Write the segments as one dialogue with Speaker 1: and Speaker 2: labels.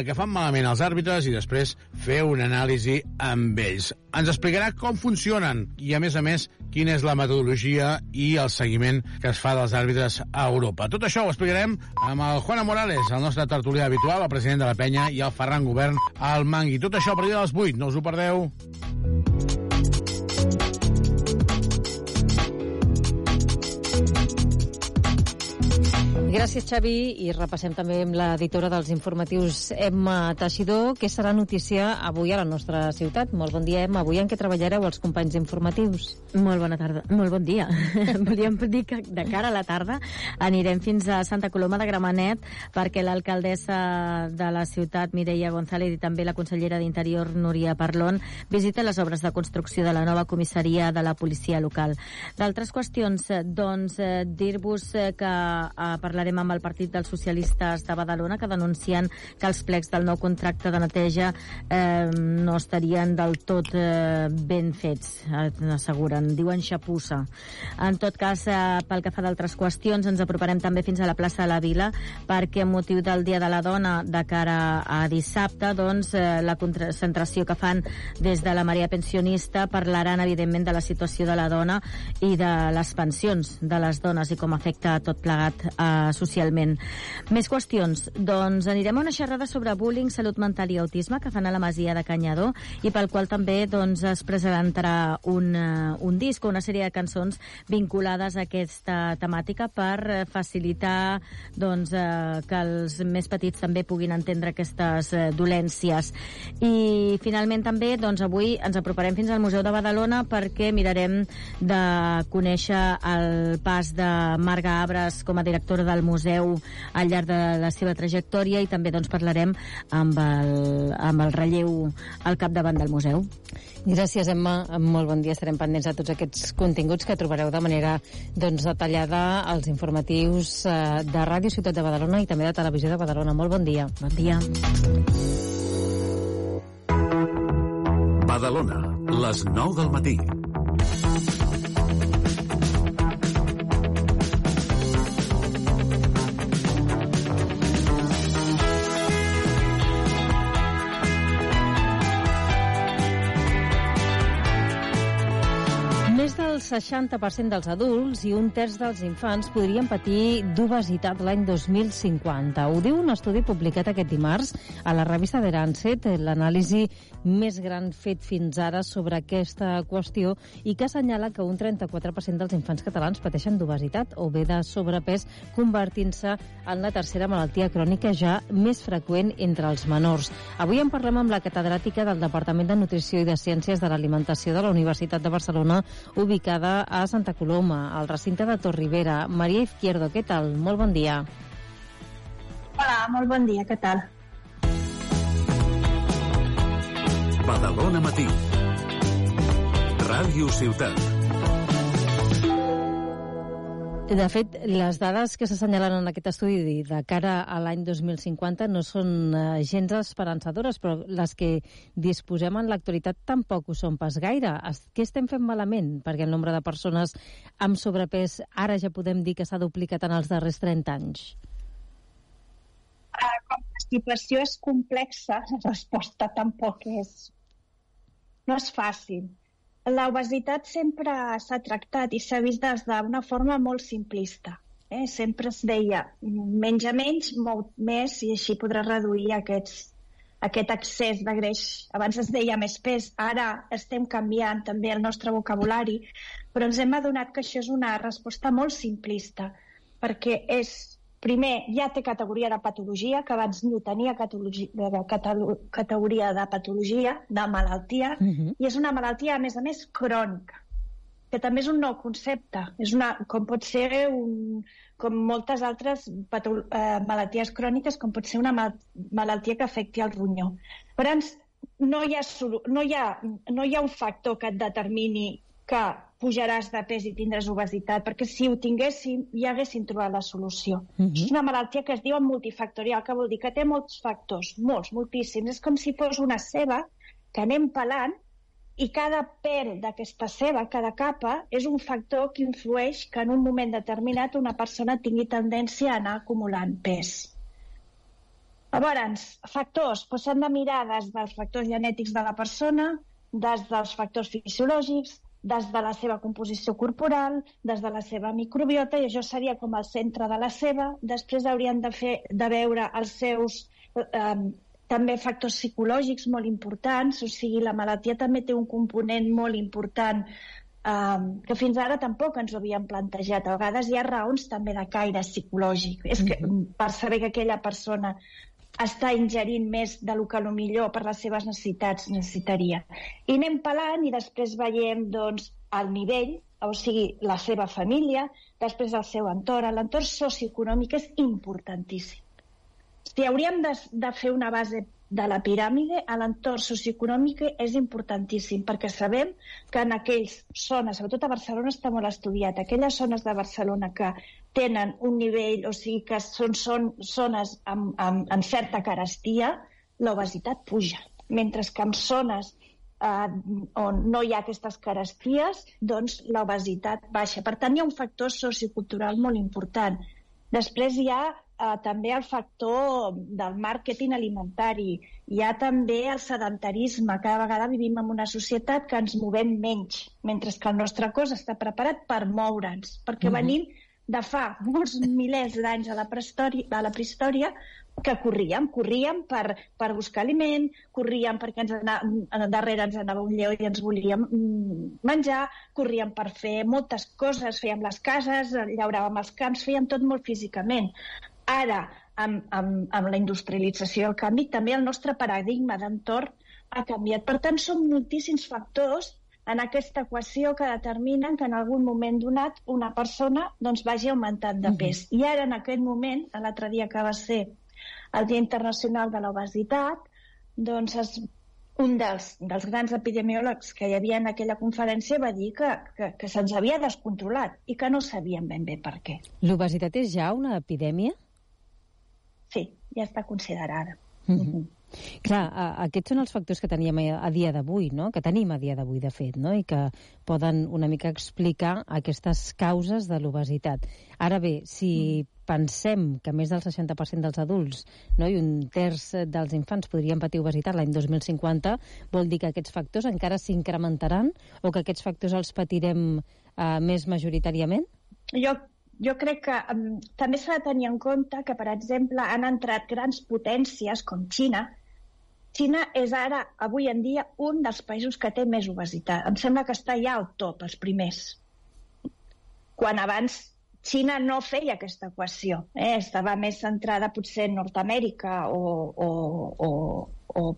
Speaker 1: que fan malament els àrbitres i després fer una anàlisi amb ells. Ens explicarà com funcionen i, a més, quina és la metodologia i el seguiment que es fa dels àrbitres a Europa. Tot això ho explicarem amb el Juan Morales, el nostre tertulià habitual, el president de la Penya, i el Ferran Govern, al Mangui. Tot això a partir de les 8, no us ho perdeu.
Speaker 2: Gràcies, Xavi, i repassem també amb l'editora dels informatius, Emma Teixidor, que serà notícia avui a la nostra ciutat. Molt bon dia, Emma. Avui en què treballareu els companys informatius?
Speaker 3: Molt bona tarda, molt bon dia. Volíem dir que de cara a la tarda anirem fins a Santa Coloma de Gramenet perquè l'alcaldessa de la ciutat, Mireia González, i també la consellera d'Interior, Núria Parlon, visiten les obres de construcció de la nova comissaria de la policia local. D'altres qüestions, doncs, dir-vos que parlarem amb el Partit dels Socialistes de Badalona, que denuncien que els plecs del nou contracte de neteja no estarien del tot ben fets, asseguren, diuen xapussa. En tot cas, pel que fa d'altres qüestions, ens aproparem també fins a la plaça de la Vila, perquè amb motiu del Dia de la Dona de cara a dissabte, doncs, la concentració que fan des de la Marea Pensionista parlaran, evidentment, de la situació de la dona i de les pensions de les dones i com afecta tot plegat socialment. Més qüestions. Doncs anirem a una xerrada sobre bullying, salut mental i autisme que fan a la Masia de Canyadó i pel qual també doncs, es presentarà un disc o una sèrie de cançons vinculades a aquesta temàtica per facilitar doncs, que els més petits també puguin entendre aquestes dolències. I finalment també doncs, avui ens aproparem fins al Museu de Badalona perquè mirarem de conèixer el pas de Marga Abres com a directora del museu al llarg de la seva trajectòria i també doncs, parlarem amb el relleu al capdavant del museu.
Speaker 2: Gràcies, Emma. Molt bon dia. Estarem pendents de tots aquests continguts que trobareu de manera doncs, detallada als informatius de Ràdio Ciutat de Badalona i també de Televisió de Badalona. Molt bon dia.
Speaker 3: Bon dia.
Speaker 4: Badalona, les 9 del matí.
Speaker 2: Més del 60% dels adults i un terç dels infants podrien patir d'obesitat l'any 2050. Ho diu un estudi publicat aquest dimarts a la revista The Lancet, l'anàlisi més gran fet fins ara sobre aquesta qüestió i que assenyala que un 34% dels infants catalans pateixen d'obesitat o bé de sobrepès, convertint-se en la tercera malaltia crònica ja més freqüent entre els menors. Avui en parlem amb la catedràtica del Departament de Nutrició i de Ciències de l'Alimentació de la Universitat de Barcelona, ubicada a Santa Coloma, al recinte de Torribera. Maria Izquierdo, què tal? Molt bon dia.
Speaker 5: Hola, molt bon dia, què tal?
Speaker 4: Badalona Matí. Ràdio Ciutat.
Speaker 2: De fet, les dades que s'assenyalen en aquest estudi de cara a l'any 2050 no són gens esperançadores, però les que disposem en l'actualitat tampoc ho són pas gaire. Què estem fent malament? Perquè el nombre de persones amb sobrepès ara ja podem dir que s'ha duplicat en els darrers 30 anys.
Speaker 5: Com la situació és complexa, la resposta tampoc no és fàcil. L'obesitat sempre s'ha tractat i s'ha vist des d'una forma molt simplista. Sempre es deia menja menys, mou més i així podràs reduir aquest excés de greix. Abans es deia més pes, ara estem canviant també el nostre vocabulari, però ens hem adonat que això és una resposta molt simplista, perquè primer, ja té categoria de patologia, que abans no tenia categoria de patologia, de malaltia, i és una malaltia, a més, crònica, que també és un nou concepte. Com pot ser, com moltes altres malalties cròniques, com pot ser una malaltia que afecti el ronyó. Per tant, no hi ha un factor que et determini que pujaràs de pes i tindràs obesitat, perquè si ho tinguéssim ja haguéssim trobat la solució. És una malaltia que es diu multifactorial, que vol dir que té molts factors, moltíssims. És com si fos una ceba que anem pelant i cada pèl d'aquesta ceba, cada capa, és un factor que influeix que en un moment determinat una persona tingui tendència a anar acumulant pes. Llavors, factors, s'han de mirar des dels factors genètics de la persona, des dels factors fisiològics, des de la seva composició corporal, des de la seva microbiota, i això seria com el centre de la seva. Després haurien de veure els seus també factors psicològics molt importants, o sigui, la malaltia també té un component molt important que fins ara tampoc ens ho havíem plantejat. A vegades hi ha raons també de caire psicològic. És que per saber que aquella persona està ingerint més del que millor per les seves necessitats necessitaria. I anem pelant i després veiem doncs, el nivell, o sigui, la seva família, després el seu entorn. L'entorn socioeconòmic és importantíssim. Si hauríem de fer una base de la piràmide, l'entorn socioeconòmic és importantíssim, perquè sabem que en aquelles zones, sobretot a Barcelona està molt estudiat, aquelles zones de Barcelona que tenen un nivell, o sigui que són zones amb certa carestia, l'obesitat puja. Mentre que en zones on no hi ha aquestes caresties, doncs l'obesitat baixa. Per tant, hi ha un factor sociocultural molt important. Després hi ha també el factor del màrqueting alimentari. Hi ha també el sedentarisme. Cada vegada vivim en una societat que ens movem menys, mentre que el nostre cos està preparat per moure'ns, perquè venim de fa molts milers d'anys a la prehistòria, que corríem per buscar aliment, corríem perquè darrere ens anava un lleó i ens volíem menjar, corríem per fer moltes coses, fèiem les cases, llauràvem els camps, fèiem tot molt físicament. Ara, amb la industrialització i el canvi, també el nostre paradigma d'entorn ha canviat. Per tant, són moltíssims factors en aquesta equació que determinen que en algun moment donat una persona vagi augmentant de pes. I ara, en aquest moment, l'altre dia que va ser el Dia Internacional de l'Obesitat, un dels grans epidemiòlegs que hi havia en aquella conferència va dir que se'ns havia descontrolat i que no sabíem ben bé per què.
Speaker 2: L'obesitat és ja una epidèmia?
Speaker 5: Sí, ja està considerada.
Speaker 2: Clar, aquests són els factors que teníem a dia d'avui, no? Que tenim a dia d'avui, de fet, no? I que poden una mica explicar aquestes causes de l'obesitat. Ara bé, si pensem que més del 60% dels adults, no, i un terç dels infants podrien patir obesitat l'any 2050, vol dir que aquests factors encara s'incrementaran o que aquests factors els patirem més majoritàriament?
Speaker 5: Jo crec que també s'ha de tenir en compte que, per exemple, han entrat grans potències com Xina. Xina és ara, avui en dia, un dels països que té més obesitat. Em sembla que està ja al top, els primers. Quan abans Xina no feia aquesta equació. Estava més centrada potser en Nord-Amèrica o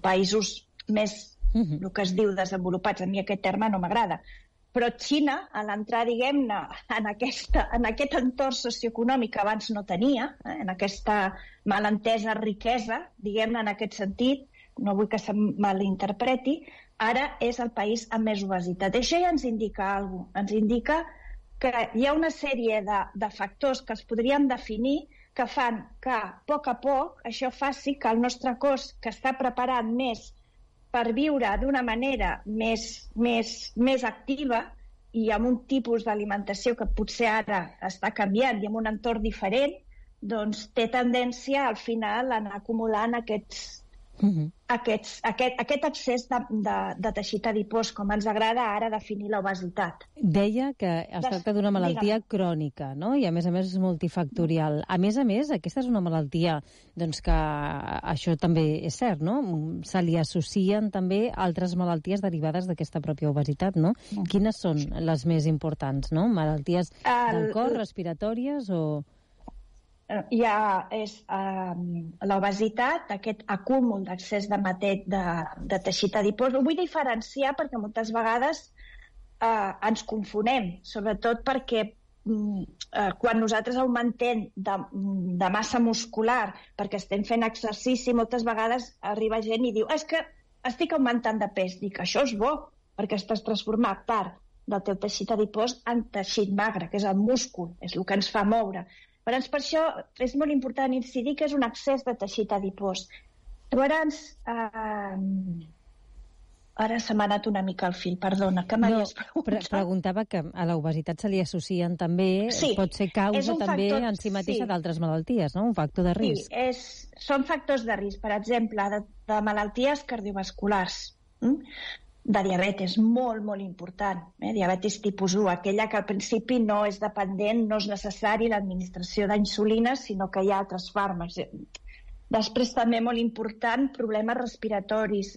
Speaker 5: països més, el que es diu, desenvolupats. A mi aquest terme no m'agrada. Però Xina, a l'entrar, diguem-ne, en aquest entorn socioeconòmic que abans no tenia, en aquesta malentesa riquesa, diguem-ne, en aquest sentit, no vull que se malinterpreti, ara és el país amb més obesitat. Això ja ens indica alguna cosa. Ens indica que hi ha una sèrie de factors que els podríem definir que fan que, a poc això faci que el nostre cos, que està preparat més per viure d'una manera més activa i amb un tipus d'alimentació que potser ara està canviant i amb un entorn diferent, doncs té tendència al final a anar acumulant aquest excés de teixit adipós, com ens agrada ara definir l'obesitat.
Speaker 2: Deia que es tracta d'una malaltia crònica, no? I a més és multifactorial. A més, aquesta és una malaltia que això també és cert, no? Se li associen també altres malalties derivades d'aquesta pròpia obesitat, no? Quines són les més importants, no? Malalties del cor, respiratòries o...
Speaker 5: és l'obesitat, aquest acúmul d'excés de teixit adipós. Ho vull diferenciar perquè moltes vegades ens confonem, sobretot perquè quan nosaltres augmentem de massa muscular perquè estem fent exercici, moltes vegades arriba gent i diu és que estic augmentant de pes. Dic, això és bo, perquè estàs transformant part del teu teixit adipós en teixit magre, que és el múscul, és el que ens fa moure. Per això és molt important incidir que és un excés de teixit adipós. Llavors, Ara se m'ha anat una mica el fil, perdona, que m'havies preguntat.
Speaker 2: Preguntava que a l'obesitat se li associen també, pot ser causa també en si mateixa d'altres malalties, no? Un factor de risc.
Speaker 5: Sí, són factors de risc, per exemple, de malalties cardiovasculars, de diabetes, molt, molt important. Diabetis tipus 1, aquella que al principi no és dependent, no és necessari l'administració d'insulina, sinó que hi ha altres fàrmacs. Després, també molt important, problemes respiratoris.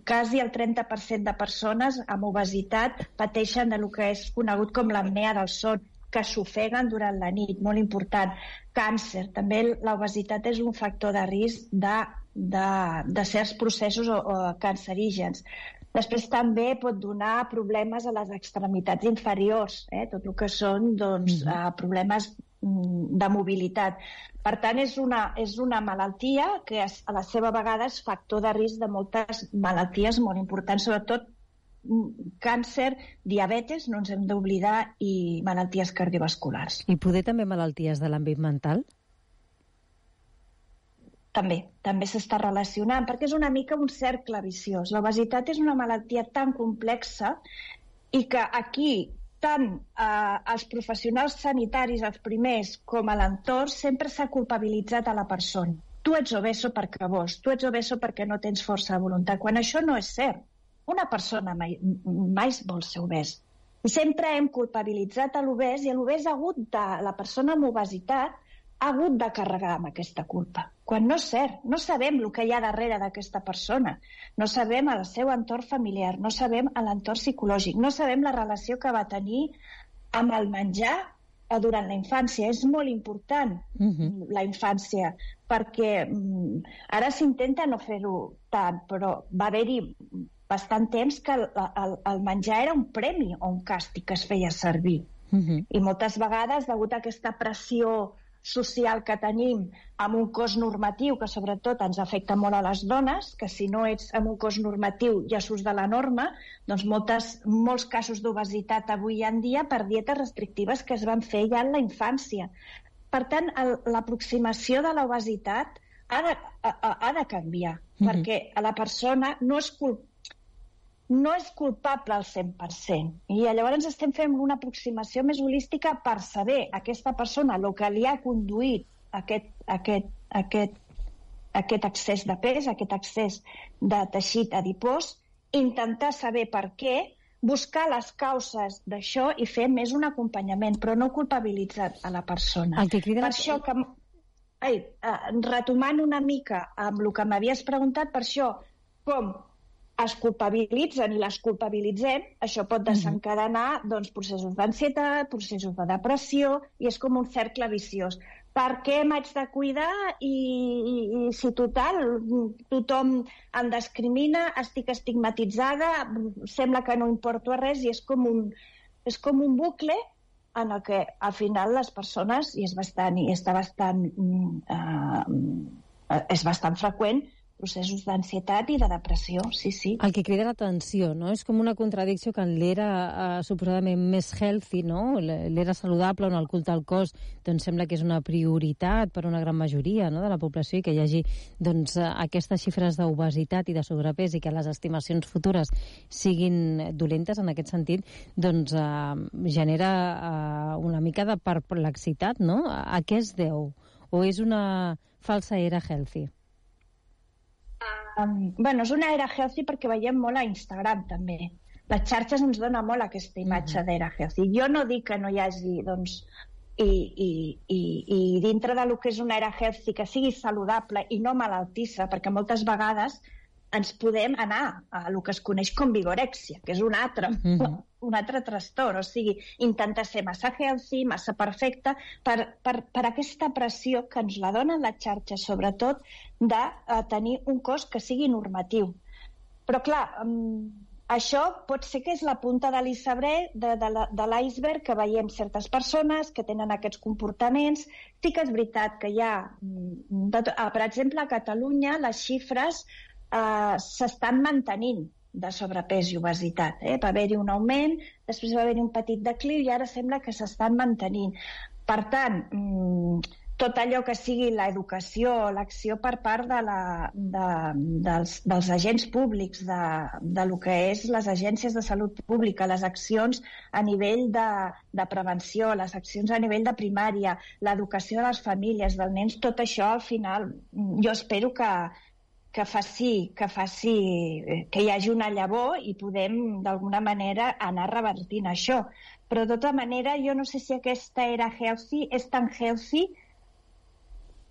Speaker 5: Quasi el 30% de persones amb obesitat pateixen del que és conegut com l'apnea del son, que s'ofeguen durant la nit, molt important. Càncer, també l'obesitat és un factor de risc de certs processos cancerígens. Després també pot donar problemes a les extremitats inferiors, tot el que són problemes de mobilitat. Per tant, és una malaltia que a la seva vegada és factor de risc de moltes malalties molt importants, sobretot càncer, diabetes, no ens hem d'oblidar, i malalties cardiovasculars.
Speaker 2: I poder també malalties de l'àmbit mental?
Speaker 5: També s'està relacionant, perquè és una mica un cercle viciós. L'obesitat és una malaltia tan complexa i que aquí tant els professionals sanitaris, els primers, com a l'entorn, sempre s'ha culpabilitzat a la persona. Tu ets obeso perquè vols, tu ets obeso perquè no tens força de voluntat, quan això no és cert. Una persona mai vol ser obès. I sempre hem culpabilitzat a l'obès i l'obès la persona amb obesitat ha hagut de carregar amb aquesta culpa. Quan no és cert, no sabem el que hi ha darrere d'aquesta persona, no sabem el seu entorn familiar, no sabem l'entorn psicològic, no sabem la relació que va tenir amb el menjar durant la infància. És molt important la infància, perquè ara s'intenta no fer-ho tant, però va haver-hi bastant temps que el menjar era un premi o un càstig que es feia servir. I moltes vegades, degut a aquesta pressió social que tenim amb un cos normatiu que sobretot ens afecta molt a les dones, que si no ets amb un cos normatiu ja surts de la norma, doncs molts casos d'obesitat avui en dia per dietes restrictives que es van fer ja en la infància. Per tant, l'aproximació de l'obesitat ha de canviar, perquè a la persona no és culpable al 100%. I llavors estem fent una aproximació més holística per saber aquesta persona el que li ha conduït aquest excés de pes, aquest excés de teixit adipós, intentar saber per què, buscar les causes d'això i fer més un acompanyament, però no culpabilitzar a la persona. Per això que... retomant una mica amb el que m'havies preguntat, per això, com es culpabilitzen i les culpabilitzem, això pot desencadenar processos d'ansietat, processos de depressió, i és com un cercle viciós. Per què m'haig de cuidar i si total tothom em discrimina, estic estigmatitzada, sembla que no importo a res, i és com un bucle en el que al final les persones, és bastant freqüent, processos d'ansietat i de depressió, sí.
Speaker 2: El que crida l'atenció, no? És com una contradicció que en l'era suposadament més healthy, no? L'era saludable, on el culte al cos sembla que és una prioritat per a una gran majoria de la població, i que hi hagi aquestes xifres d'obesitat i de sobrepès i que les estimacions futures siguin dolentes en aquest sentit, genera una mica de perplexitat, no? A què es deu? O és una falsa era healthy?
Speaker 5: És una era healthy perquè veiem molt a Instagram també. Les xarxes ens donen molt aquesta imatge d'era healthy. Jo no dic que no hi hagi i dintre del que és una era healthy que sigui saludable i no malaltissa, perquè moltes vegades ens podem anar a el que es coneix com vigorèxia, que és un altre trastorn, o sigui, intentar ser massa healthy, massa perfecta, per aquesta pressió que ens la donen les xarxes, sobretot de tenir un cos que sigui normatiu. Però clar, això pot ser que és la punta de l'iceberg de l'iceberg que veiem certes persones que tenen aquests comportaments. Sí que és veritat que hi ha, per exemple, a Catalunya les xifres s'estan mantenint de sobrepès i obesitat. Va haver-hi un augment, després va haver-hi un petit decliu i ara sembla que s'estan mantenint. Per tant, tot allò que sigui l'educació, l'acció per part dels agents públics, de lo que és les agències de salut pública, les accions a nivell de prevenció, les accions a nivell de primària, l'educació de les famílies, dels nens, tot això al final jo espero que faci que hi hagi una llavor i podem d'alguna manera anar revertint això. Però de tota manera jo no sé si aquesta era healthy, és tan healthy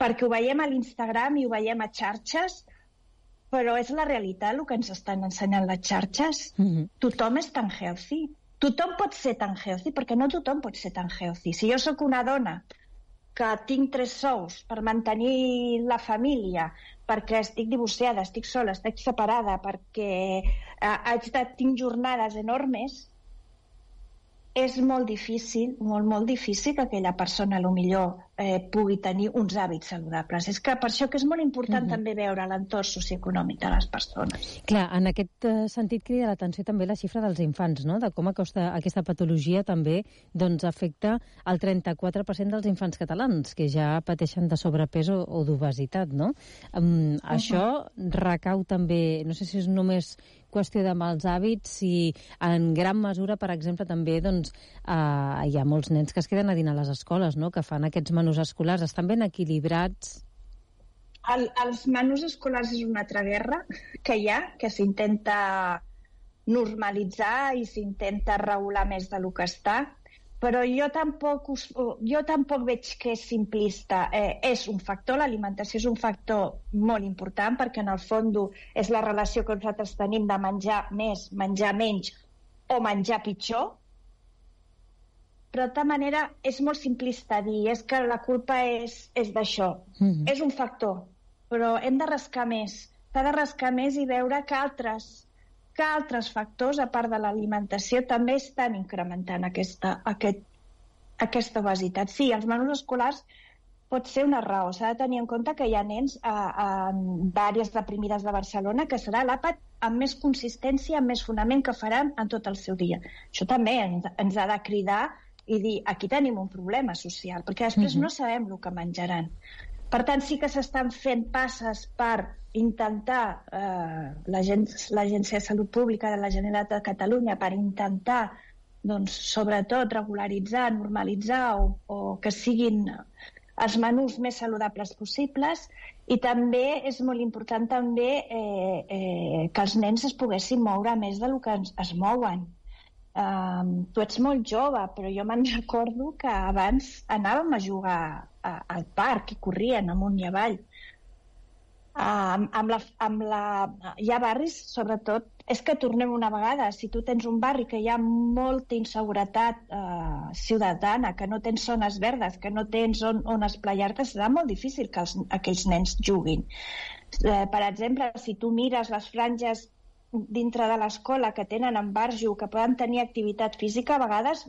Speaker 5: perquè ho veiem a l'Instagram i ho veiem a xarxes, però és la realitat el que ens estan ensenyant les xarxes. Tothom és tan healthy. Tothom pot ser tan healthy, perquè no tothom pot ser tan healthy. Si jo sóc una dona que tinc 3 sous per mantenir la família, perquè estic divorciada, estic sola, estic separada, perquè tinc jornades enormes, és molt difícil, molt difícil que aquella persona millor pugui tenir uns hàbits saludables. És que per això que és molt important també veure l'entorn socioeconòmic de les persones.
Speaker 2: Clar, en aquest sentit crida l'atenció també la xifra dels infants, no? De com aquesta patologia també afecta el 34% dels infants catalans, que ja pateixen de sobrepès o d'obesitat, no? Això recau també, no sé si és només qüestió de mals hàbits, i en gran mesura, per exemple, també hi ha molts nens que es queden a dinar a les escoles, no? Que fan aquests menús escolars. Estan ben equilibrats?
Speaker 5: Els menús escolars és una altra guerra que hi ha, que s'intenta normalitzar i s'intenta regular més del que està, però jo tampoc veig que és simplista. És un factor, l'alimentació és un factor molt important, perquè en el fons és la relació que nosaltres tenim de menjar més, menjar menys o menjar pitjor, però de tota manera és molt simplista dir és que la culpa és d'això. És un factor, però hem de rascar més. S'ha de rascar més i veure que altres factors, a part de l'alimentació, també estan incrementant aquesta obesitat. Sí, els menús escolars pot ser una raó. S'ha de tenir en compte que hi ha nens d'àrees deprimides de Barcelona que serà l'àpat amb més consistència, amb més fonament que faran en tot el seu dia. Això també ens ha de cridar i dir, aquí tenim un problema social, perquè després no sabem el que menjaran. Per tant, sí que s'estan fent passes per intentar, l'Agència de Salut Pública de la Generalitat de Catalunya, per intentar, sobretot, regularitzar, normalitzar o que siguin els menús més saludables possibles, i també és molt important que els nens es poguessin moure més del que es mouen. Tu ets molt jove, però jo me'n recordo que abans anàvem a jugar al parc i corrien amunt i avall. Hi ha barris, sobretot, és que tornem una vegada, si tu tens un barri que hi ha molta inseguretat ciutadana, que no tens zones verdes, que no tens on esplayar-te, serà molt difícil que aquells nens juguin. Per exemple, si tu mires les franges dintre de l'escola que tenen embarjo, que poden tenir activitat física, a vegades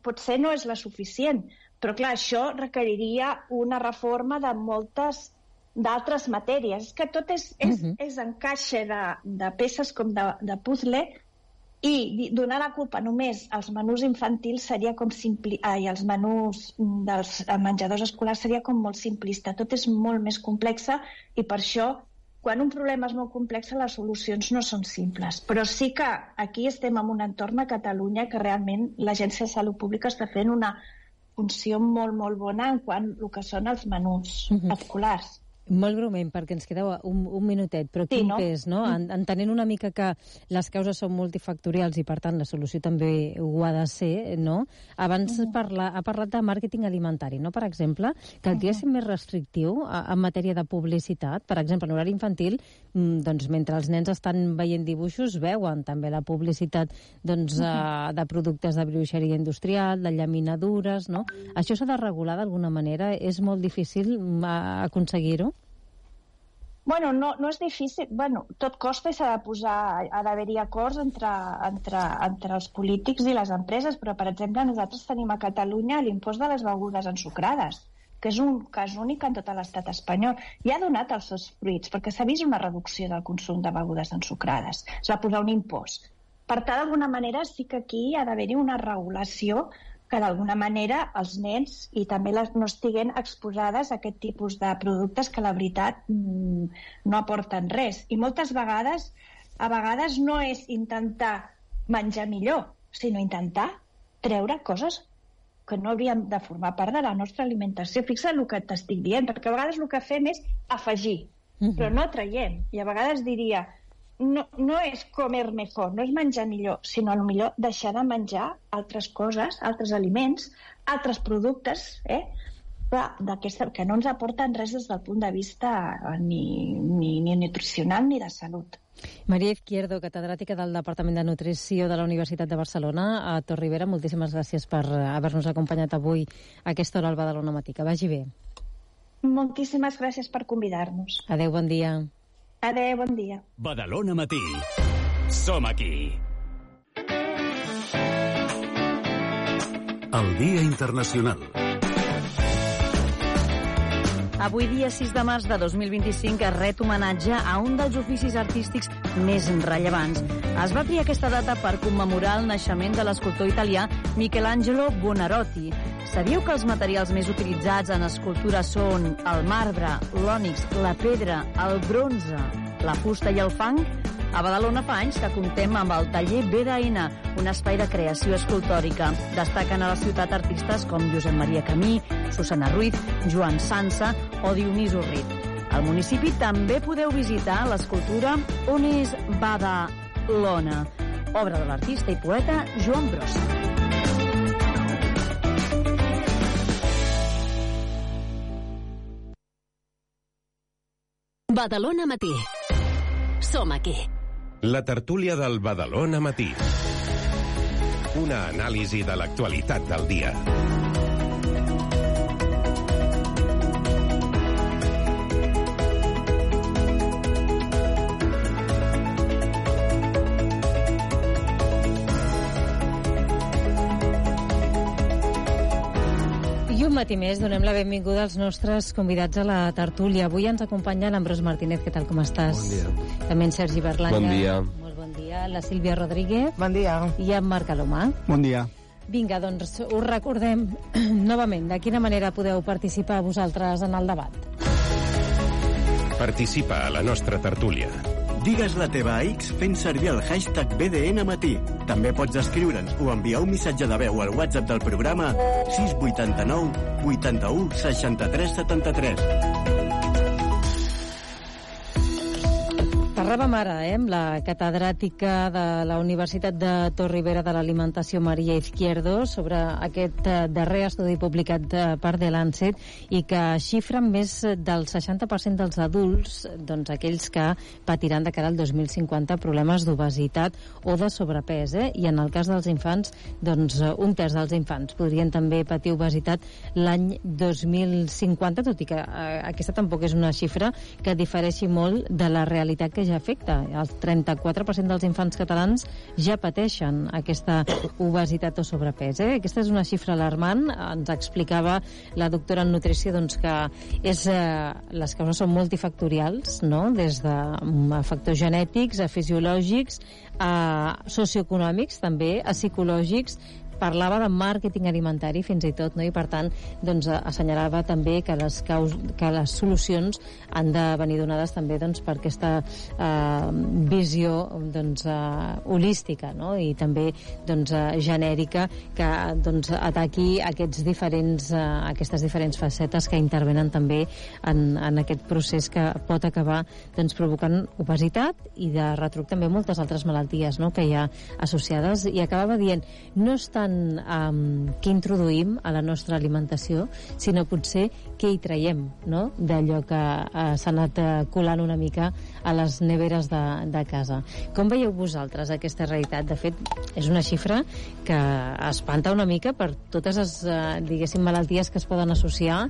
Speaker 5: potser no és la suficient, però clar, això requeriria una reforma de moltes d'altres matèries. És que tot és encaixe de peces com de puzzle, i donar la culpa només als menús infantils seria com els menús dels menjadors escolars seria com molt simplista. Tot és molt més complexa, i per això quan un problema és molt complex, les solucions no són simples. Però sí que aquí estem en un entorn a Catalunya que realment l'Agència de Salut Pública està fent una funció molt, molt bona en quant al que són els menús escolars.
Speaker 2: Molt breument, perquè ens queda un minutet, però quin pes, no? Entenent una mica que les causes són multifactorials i, per tant, la solució també ho ha de ser, no? Abans ha parlat de màrqueting alimentari, no? Per exemple, que el dia és més restrictiu en matèria de publicitat. Per exemple, en horari infantil, doncs, mentre els nens estan veient dibuixos, veuen també la publicitat de productes de brioixeria industrial, de llaminadures, no? Això s'ha de regular d'alguna manera? És molt difícil aconseguir-ho?
Speaker 5: Bueno, no és difícil. Bueno, tot costa i s'ha d'haver-hi acords entre els polítics i les empreses, però, per exemple, nosaltres tenim a Catalunya l'impost de les begudes ensucrades, que és un cas únic en tot l'estat espanyol. I ha donat els seus fruits, perquè s'ha vist una reducció del consum de begudes ensucrades. Es va posar un impost. Per tant, d'alguna manera, sí que aquí ha d'haver-hi una regulació que d'alguna manera els nens i també no estiguen exposades a aquest tipus de productes que la veritat no aporten res. I moltes vegades, a vegades no és intentar menjar millor, sinó intentar treure coses que no haurien de formar part de la nostra alimentació. Fixa't el que t'estic dient, perquè a vegades el que fem és afegir, però no traiem. I a vegades diria, no és comer mejor, no és menjar millor, sinó potser deixar de menjar altres coses, altres aliments, altres productes, que no ens aporten res des del punt de vista ni nutricional ni de salut.
Speaker 2: Maria Izquierdo, catedràtica del Departament de Nutrició de la Universitat de Barcelona a Torribera, moltíssimes gràcies per haver-nos acompanyat avui a aquesta hora al Badalona Matí. Que vagi bé.
Speaker 5: Moltíssimes gràcies per convidar-nos.
Speaker 2: Adéu, bon dia.
Speaker 5: Adéu, bon dia.
Speaker 4: Badalona Matí. Som aquí. El Dia Internacional.
Speaker 3: Avui, dia 6 de març de 2025, es ret homenatge a un dels oficis artístics més rellevants. Es va triar aquesta data per commemorar el naixement de l'escultor italià Michelangelo Buonarroti. Sabíeu que els materials més utilitzats en escultura són el marbre, l'ònix, la pedra, el bronze, la fusta i el fang? A Badalona fa anys que comptem amb el taller BDN, un espai de creació escultòrica. Destaquen a la ciutat artistes com Josep Maria Camí, Susana Ruiz, Joan Sansa o Dionís Urrit. Al municipi també podeu visitar l'escultura On és Badalona, obra de l'artista i poeta Joan Brossa.
Speaker 6: Badalona Matí. Som aquí.
Speaker 7: La tertúlia del Badalona Matí. Una anàlisi de l'actualitat del dia.
Speaker 2: I un matí més donem la benvinguda als nostres convidats a la tertúlia. Avui ens acompanya l'Ambrós Martínez. Què tal, com estàs?
Speaker 8: Bon dia.
Speaker 2: També en Sergi Berlanga.
Speaker 8: Bon dia.
Speaker 2: Molt bon dia. La Sílvia Rodríguez.
Speaker 9: Bon dia.
Speaker 2: I en Marc Alomà.
Speaker 8: Bon dia.
Speaker 2: Vinga, doncs us recordem novament de quina manera podeu participar vosaltres en el debat.
Speaker 7: Participa a la nostra tertúlia.
Speaker 10: Digues la teva a X fent servir el hashtag BDNmatí. També pots escriure'ns o enviar un missatge de veu al WhatsApp del programa 689 81 63 73.
Speaker 2: Parlàvem ara amb la catedràtica de la Universitat de Torribera de l'Alimentació, Maria Izquierdo, sobre aquest darrer estudi publicat per The Lancet i que xifra més del 60% dels adults, doncs aquells que patiran de cara al 2050 problemes d'obesitat o de sobrepès, i en el cas dels infants, doncs un terç dels infants podrien també patir obesitat l'any 2050, tot i que aquesta tampoc és una xifra que difereixi molt de la realitat que ja afecta. El 34% dels infants catalans ja pateixen aquesta obesitat o sobrepès. Aquesta és una xifra alarmant. Ens explicava la doctora en nutrició doncs, que les causes són multifactorials, no? Des de factors genètics, a fisiològics, a socioeconòmics, també, a psicològics. Parlava de màrqueting alimentari fins i tot, no? I per tant doncs, assenyalava també que les solucions han de venir donades també doncs, per aquesta visió doncs, holística, no? I també doncs, genèrica que doncs, ataqui aquestes diferents facetes que intervenen també en aquest procés que pot acabar doncs, provocant obesitat i de retruc també moltes altres malalties, no? Que hi ha associades. I acabava dient, no és tant què introduïm a la nostra alimentació, sinó potser què hi traiem, no? D'allò que s'ha anat colant una mica a les neveres de casa. Com veieu vosaltres aquesta realitat? De fet, és una xifra que espanta una mica per totes les, diguéssim, malalties que es poden associar,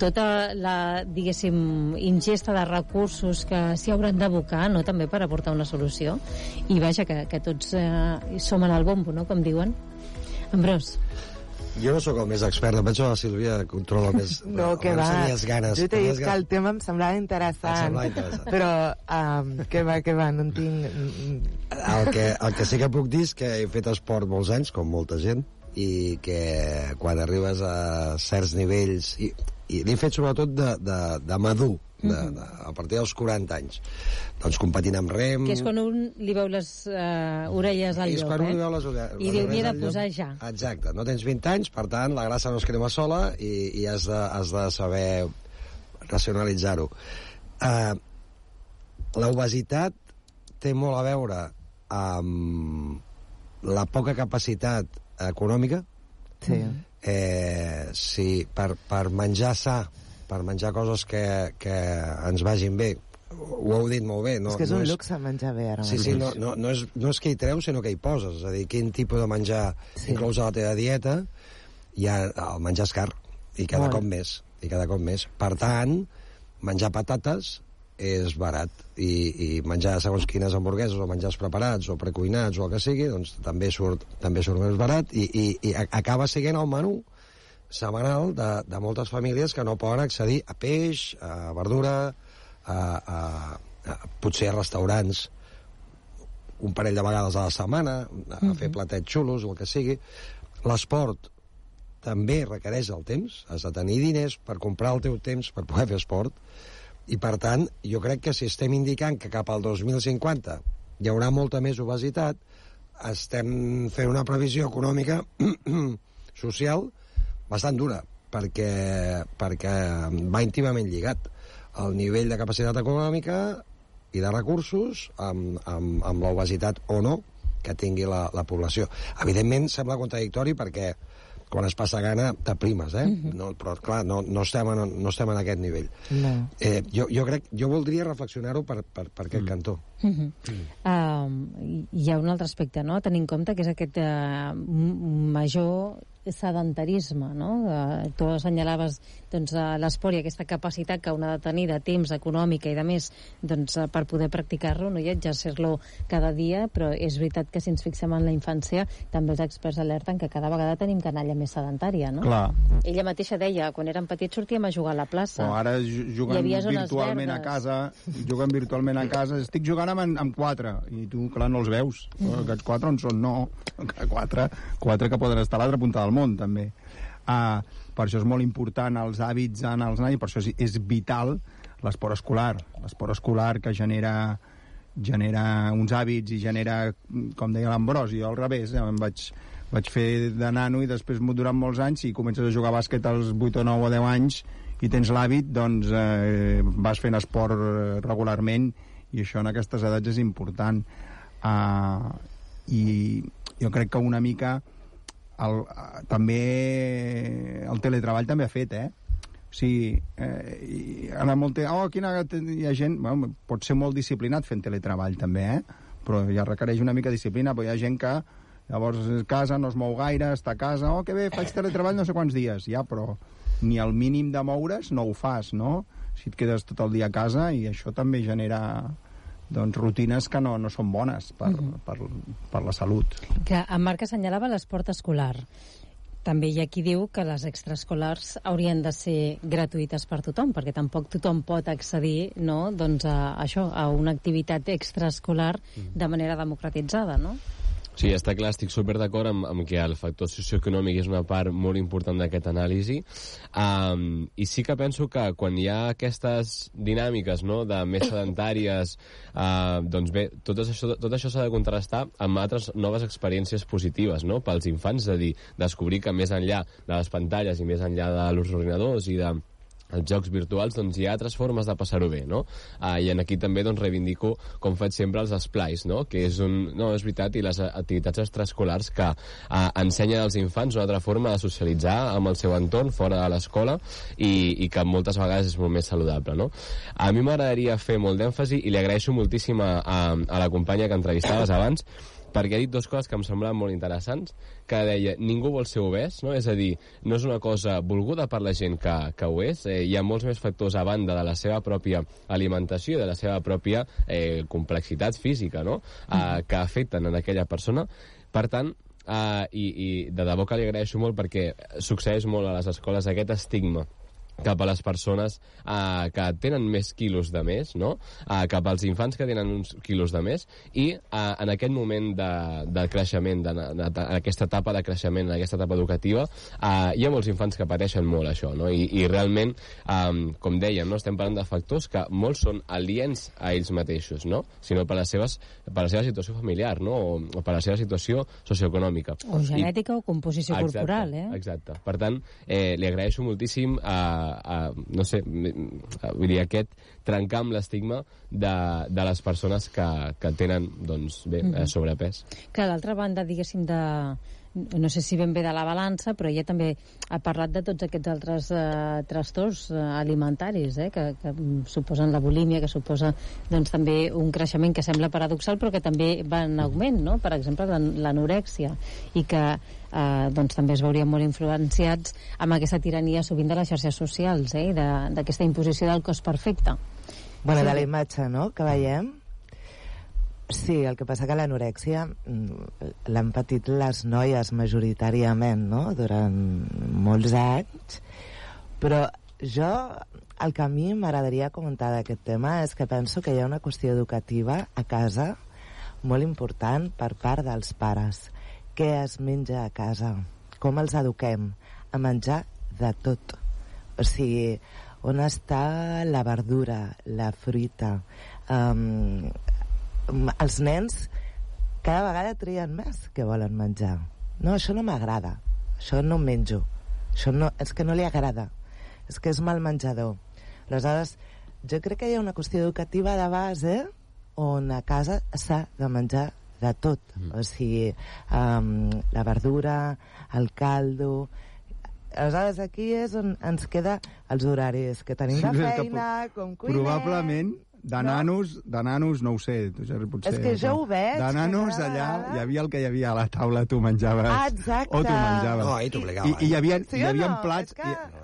Speaker 2: tota la, diguéssim, ingesta de recursos que s'hi hauran d'abocar, no?, també per aportar una solució. I vaja, que tots som en el bombo, no?, com diuen. Ambrós.
Speaker 8: Jo no sóc el més expert, em penso que la Sílvia controla més.
Speaker 9: No, que va.
Speaker 8: Ganes.
Speaker 9: Jo t'he dit que el tema em semblava interessant. Però que va, no en tinc...
Speaker 8: El que sí que puc dir és que he fet esport molts anys, com molta gent, i que quan arribes a certs nivells i l'he fet sobretot de madur, a partir dels 40 anys, doncs competint amb rem.
Speaker 2: Que és quan un li veu les orelles al llop,
Speaker 8: quan un li veu les orelles,
Speaker 2: i diu, m'hi he de posar ja.
Speaker 8: Exacte, no tens 20 anys, per tant la grassa no es crema sola i has de saber racionalitzar-ho. L'obesitat té molt a veure amb la poca capacitat econòmica. Sí, per menjar sa, per menjar coses que ens vagin bé, ho heu dit molt bé.
Speaker 9: És que és un luxe menjar bé ara.
Speaker 8: Sí, no és que hi treus, sinó que hi poses. És a dir, quin tipus de menjar inclous a la teva dieta, i el menjar és car, i cada cop més. Per tant, menjar patates és barat, i menjar segons quines hamburgueses o menjars preparats o precuinats o el que sigui, doncs també surt més barat, i acaba sent el menú setmanal de moltes famílies que no poden accedir a peix, a verdura, potser a restaurants un parell de vegades a la setmana, a fer platets xulos o el que sigui. L'esport també requereix el temps, has de tenir diners per comprar el teu temps per poder fer esport. I, per tant, jo crec que si estem indicant que cap al 2050 hi haurà molta més obesitat, estem fent una previsió econòmica social bastant dura, perquè va íntimament lligat el nivell de capacitat econòmica i de recursos amb l'obesitat o no que tingui la població. Evidentment, sembla contradictori perquè quan es passa gana t'aprimes, no, però clar, no estem en aquest nivell. Jo voldria reflexionar-ho per aquest cantó.
Speaker 2: Hi ha un altre aspecte, no?, a tenir en compte, que és aquest major sedentarisme, no? Tu assenyalaves l'esport i aquesta capacitat que un ha de tenir de temps, econòmica i de més, per poder practicar-lo, no? I exercir-lo cada dia, però és veritat que si ens fixem en la infància, també els experts alerten que cada vegada tenim canalla més sedentària, no?
Speaker 11: Clar.
Speaker 2: Ella mateixa deia, quan érem petits sortíem a jugar a la plaça.
Speaker 11: Ara juguen virtualment a casa, estic jugant amb 4, i tu, clar, no els veus. Aquests 4 on són? No. 4 que poden estar a l'altra punta del món, també. Per això és molt important els hàbits en els nens, i per això és vital l'esport escolar que genera uns hàbits i genera, com deia l'Ambròs, i jo al revés, em vaig fer de nano i després durant molts anys, si comences a jugar a bàsquet als 8 o 9 o 10 anys i tens l'hàbit, doncs vas fent esport regularment, i això en aquestes edats és important. I jo crec que una mica també el teletreball també ha fet, o sigui, ara hi ha gent, pot ser molt disciplinat fent teletreball també, però ja requereix una mica de disciplina, però hi ha gent que llavors a casa no es mou gaire, està a casa, que bé, faig teletreball no sé quants dies, però ni el mínim de moure's no ho fas, no? Si et quedes tot el dia a casa, i això també genera rutines que no són bones per la salut.
Speaker 2: Que en Marc assenyalava l'esport escolar. També hi ha qui diu que les extraescolars haurien de ser gratuïtes per tothom, perquè tampoc tothom pot accedir, no, a una activitat extraescolar de manera democratitzada, no?
Speaker 12: Sí, està clar, estic super d'acord amb que el factor socioeconòmic és una part molt important d'aquest anàlisi, i sí que penso que quan hi ha aquestes dinàmiques, no?, de més sedentàries, doncs bé, tot això s'ha de contrastar amb altres noves experiències positives, no?, pels infants, és a dir, descobrir que més enllà de les pantalles i més enllà dels ordinadors i de els jocs virtuals, doncs hi ha altres formes de passar-ho bé, no? I aquí també reivindico, com faig sempre, els esplais, no? Que és és veritat, i les activitats extraescolars que ensenyen als infants una altra forma de socialitzar amb el seu entorn fora de l'escola, i que moltes vegades és molt més saludable, no? A mi m'agradaria fer molt d'èmfasi, i li agraeixo moltíssim a la companya que entrevistaves abans, perquè ha dit dues coses que em semblaven molt interessants, que deia, ningú vol ser obès, no? És a dir, no és una cosa volguda per la gent que ho és, hi ha molts més factors a banda de la seva pròpia alimentació, de la seva pròpia complexitat física, no?, que afecten en aquella persona. Per tant, i de debò que li agraeixo molt, perquè succeeix molt a les escoles aquest estigma cap a les persones que tenen més quilos de més, no? Cap als infants que tenen uns quilos de més, i en aquest moment de creixement, en aquesta etapa de creixement, en aquesta etapa educativa, hi ha molts infants que pateixen molt això, no? I realment, com dèiem, no? Estem parlant de factors que molts són aliens a ells mateixos, no? Sinó per la seva situació familiar, no? O per la seva situació socioeconòmica.
Speaker 2: O genètica o composició corporal,
Speaker 12: Exacte. Per tant, li agraeixo moltíssim no sé, vull dir, aquest trencar amb l'estigma de les persones que tenen, doncs, bé, sobrepès.
Speaker 2: Clar, d'altra banda, diguéssim, no sé si ben bé de la balança, però ella també ha parlat de tots aquests altres trastorns alimentaris, que suposen la bulímia, que suposa doncs, també un creixement que sembla paradoxal, però que també va en augment, no? Per exemple, l'anorèxia, i que doncs, també es veurien molt influenciats amb aquesta tirania sovint de les xarxes socials, i d'aquesta imposició del cos perfecte.
Speaker 9: Bueno, de la imatge, no?, que veiem. Sí, el que passa que l'anorèxia l'han patit les noies majoritàriament, no?, durant molts anys, però jo, el que a mi m'agradaria comentar d'aquest tema és que penso que hi ha una qüestió educativa a casa molt important per part dels pares. Què es menja a casa? Com els eduquem? A menjar de tot. O sigui, on està la verdura, la fruita? Els nens cada vegada trien més què volen menjar. No, això no m'agrada, això no menjo, això no, és que no li agrada, és que és mal menjador. Aleshores, jo crec que hi ha una qüestió educativa de base on a casa s'ha de menjar de tot, o sigui, la verdura, el caldo. Aleshores, aquí és on ens queda els horaris que tenim de feina, com cuinem.
Speaker 11: Probablement de nanos, no ho sé, tu, Jerry, potser...
Speaker 9: És que jo ho veig.
Speaker 11: De nanos, allà, hi havia el que hi havia a la taula, tu menjaves...
Speaker 9: Exacte.
Speaker 11: O tu menjaves.
Speaker 8: No, i t'obligava.
Speaker 11: I hi havia plats...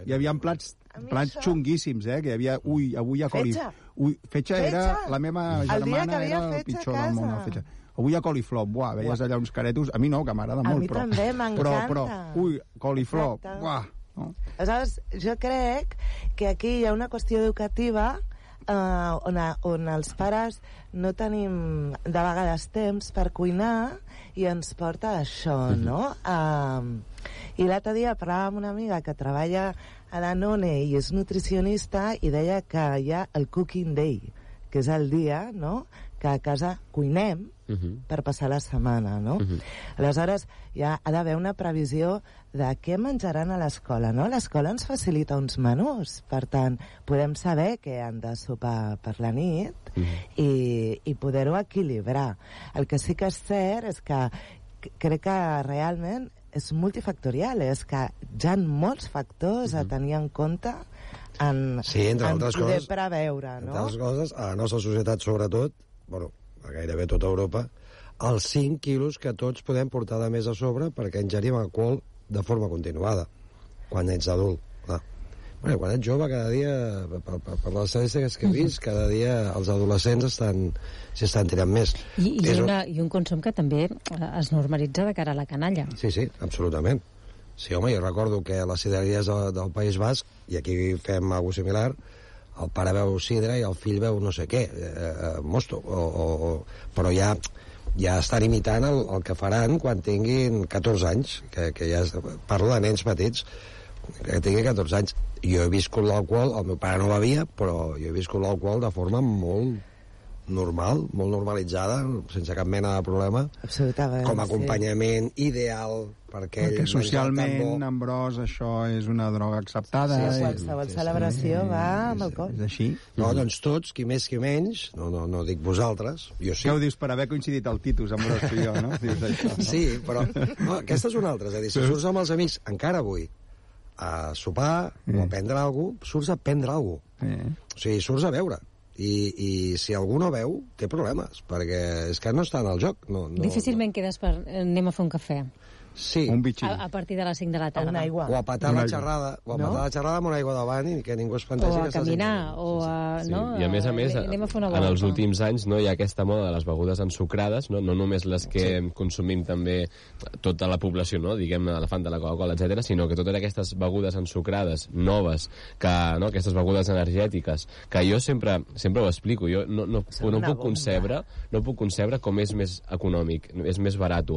Speaker 11: Hi havia plats xunguíssims, que hi havia... Ui, avui hi ha coliflor. Fetge era... La meva germana era el pitjor del món, el fetge. Avui hi ha coliflor, buah, veies allà uns caretos... A mi no, que m'agrada molt, però...
Speaker 9: A mi també, m'encanta.
Speaker 11: Però, ui, coliflor, buah...
Speaker 9: No? Aleshores, jo crec que aquí hi ha una qüestió educativa on els pares no tenim de vegades temps per cuinar i ens porta això, no? I l'altre dia parlava amb una amiga que treballa a Danone i és nutricionista i deia que hi ha el Cooking Day, que és el dia, no?, que a casa cuinem per passar la setmana, no? Aleshores, ja ha d'haver una previsió de què menjaran a l'escola, no? L'escola ens facilita uns menús, per tant, podem saber què han de sopar per la nit i poder-ho equilibrar. El que sí que és cert és que crec que realment és multifactorial, és que hi ha molts factors a tenir en compte en poder preveure, no?
Speaker 8: Entre altres coses, a la nostra societat, sobretot, bueno, a gairebé tota Europa, els 5 quilos que tots podem portar de més a sobre perquè ingerim alcohol de forma continuada, quan ets adult. Bueno, quan ets jove, cada dia, per les estadístiques que he vist, cada dia els adolescents s'estan tirant més.
Speaker 2: I un consum que també es normalitza de cara a la canalla.
Speaker 8: Sí, absolutament. Sí, home, jo recordo que a les sidreries del País Basc, i aquí fem alguna cosa similar, el pare veu sidra i el fill veu no sé què, mosto, però ja estan imitant el que faran quan tinguin 14 anys, que ja parlo de nens petits, que tinguin 14 anys. Jo he viscut l'alcohol, el meu pare no bevia, però jo he viscut l'alcohol de forma molt normal, molt normalitzada, sense cap mena de problema.
Speaker 9: Absolutament.
Speaker 8: Com a acompanyament ideal perquè
Speaker 11: socialment, Ambròs, això és una droga acceptada.
Speaker 9: Sí, qualsevol celebració va amb alcohol.
Speaker 11: És així.
Speaker 8: No, doncs tots, qui més qui menys, no dic vosaltres, jo sí.
Speaker 11: Què ho dius per haver coincidit el Titus, Ambròs, tu i jo, no? Dius això, no?
Speaker 8: Sí, però aquesta és una altra, és a dir, si surts amb els amics, encara avui, a sopar o a prendre alguna cosa, surts a prendre alguna cosa. O sigui, surts a beure. I si algú no veu, té problemes, perquè és que no està en el joc.
Speaker 2: Difícilment quedes per anem a fer un cafè.
Speaker 8: Sí.
Speaker 11: Un bitxí.
Speaker 2: A partir de les 5 de la tarda.
Speaker 9: Una aigua.
Speaker 8: O a patar la xerrada, amb una aigua davant i que ningú es plantegi...
Speaker 2: O a caminar, o a...
Speaker 12: Sí.
Speaker 2: No?
Speaker 12: I a més,
Speaker 2: anem a fer una volta.
Speaker 12: en els últims anys hi ha aquesta moda de les begudes ensucrades, no només les que consumim també tota la població, diguem, la Fanta, la Coca-Cola, etc, sinó que totes aquestes begudes ensucrades, noves, aquestes begudes energètiques, que jo sempre ho explico, jo no puc concebre com és més econòmic, és més barat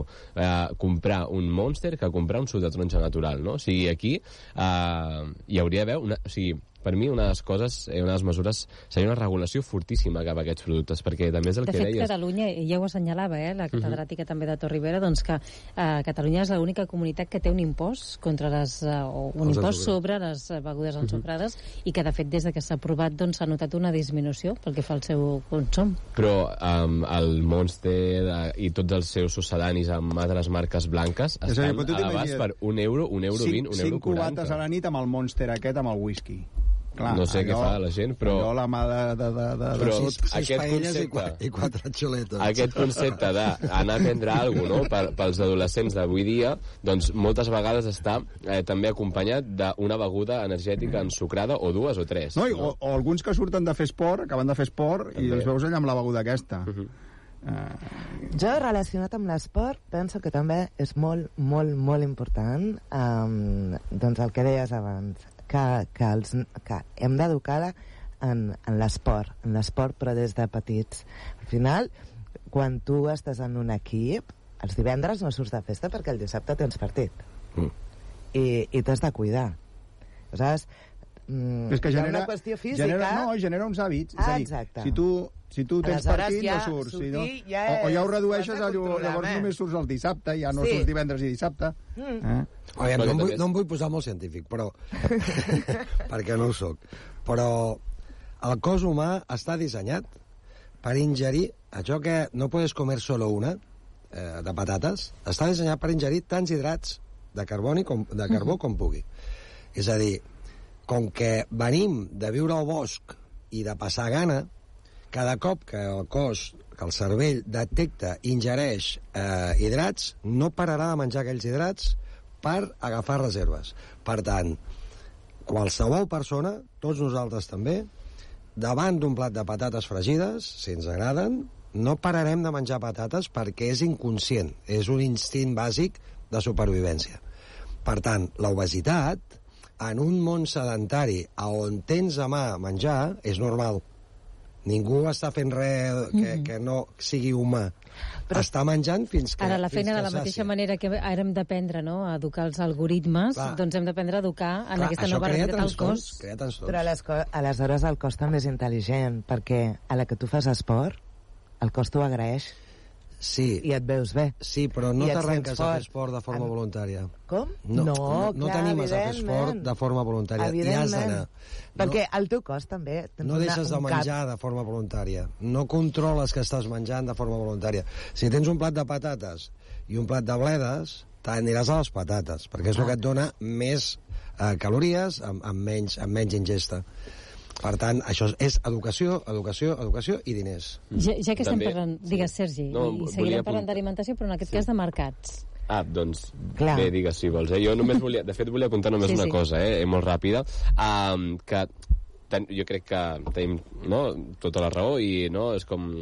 Speaker 12: comprar un Monster que comprar un suc de taronja natural, no? O sigui, aquí hi hauria d'haver per mi, una de les coses, una de les mesures, seria una regulació fortíssima cap a aquests productes, perquè també és el que deies...
Speaker 2: De fet, Catalunya, ja ho assenyalava, la catedràtica també de Torribera, doncs que Catalunya és l'única comunitat que té un impost sobre les begudes ensucrades i que, de fet, des que s'ha aprovat, doncs s'ha notat una disminució pel que fa al seu consum.
Speaker 12: Però el Monster i tots els seus succedanis amb altres marques blanques estan elevats per €1, €1,20, €1,40.
Speaker 11: 5 cubates a la nit amb el Monster aquest, amb el whisky. Clar,
Speaker 12: no sé què fa la gent, però...
Speaker 11: Allò la mà
Speaker 12: però
Speaker 8: aquest concepte... I 4 xuletes.
Speaker 12: Aquest concepte d'anar a prendre alguna cosa, pels adolescents d'avui dia, doncs moltes vegades està també acompanyat d'una beguda energètica ensucrada, o 2 o 3.
Speaker 11: O alguns que surten de fer esport, acaben de fer esport, i els veus allà amb la beguda aquesta.
Speaker 9: Jo, relacionat amb l'esport, penso que també és molt, molt, molt important doncs el que deies abans, que hem d'educar en l'esport, però des de petits. Al final, quan tu estàs en un equip, els divendres no surts de festa perquè el dissabte tens partit. I t'has de cuidar. Saps?
Speaker 11: És que genera
Speaker 9: una qüestió física...
Speaker 11: genera uns hàbits.
Speaker 9: Exacte.
Speaker 11: Si tu tens partit, no surts. O ja ho redueixes, llavors només surts el dissabte, ja no surts divendres i dissabte.
Speaker 8: No em vull posar molt científic, però perquè no ho soc. Però el cos humà està dissenyat per ingerir això que no podes comer solo una, de patates, està dissenyat per ingerir tants hidrats de carbó com pugui. És a dir, com que venim de viure al bosc i de passar gana, cada cop que el cos, que el cervell detecta, ingereix hidrats, no pararà de menjar aquells hidrats per agafar reserves. Per tant, qualsevol persona, tots nosaltres també, davant d'un plat de patates fregides, si ens agraden, no pararem de menjar patates perquè és inconscient, és un instint bàsic de supervivència. Per tant, l'obesitat, en un món sedentari on tens a mà menjar, és normal. Ningú està fent res que no sigui humà. Però està menjant fins que...
Speaker 2: Ara, la feina de la mateixa manera que ara hem d'aprendre a educar els algoritmes, doncs hem d'aprendre a educar en aquesta nova realitat al cos.
Speaker 9: Però aleshores el cos també és intel·ligent, perquè a la que tu fas esport, el cos t'ho agraeix.
Speaker 8: Sí.
Speaker 9: I et veus bé.
Speaker 8: Sí, però no t'arrenques a fer esport de forma voluntària.
Speaker 9: Com?
Speaker 8: No t'animes a fer esport de forma voluntària. Hi has d'anar.
Speaker 9: Perquè el teu cos també...
Speaker 8: No deixes de menjar de forma voluntària. No controles que estàs menjant de forma voluntària. Si tens un plat de patates i un plat de bledes, t'aniràs a les patates, perquè és el que et dona més calories amb menys ingesta. Per tant, això és educació i diners.
Speaker 2: Ja que estem parlant... Digues, Sergi, i seguirem parlant d'alimentació, però en aquest cas de mercats.
Speaker 12: Doncs bé, digues si vols. Jo només volia... De fet, volia apuntar només una cosa, molt ràpida, que jo crec que tenim tota la raó i és com...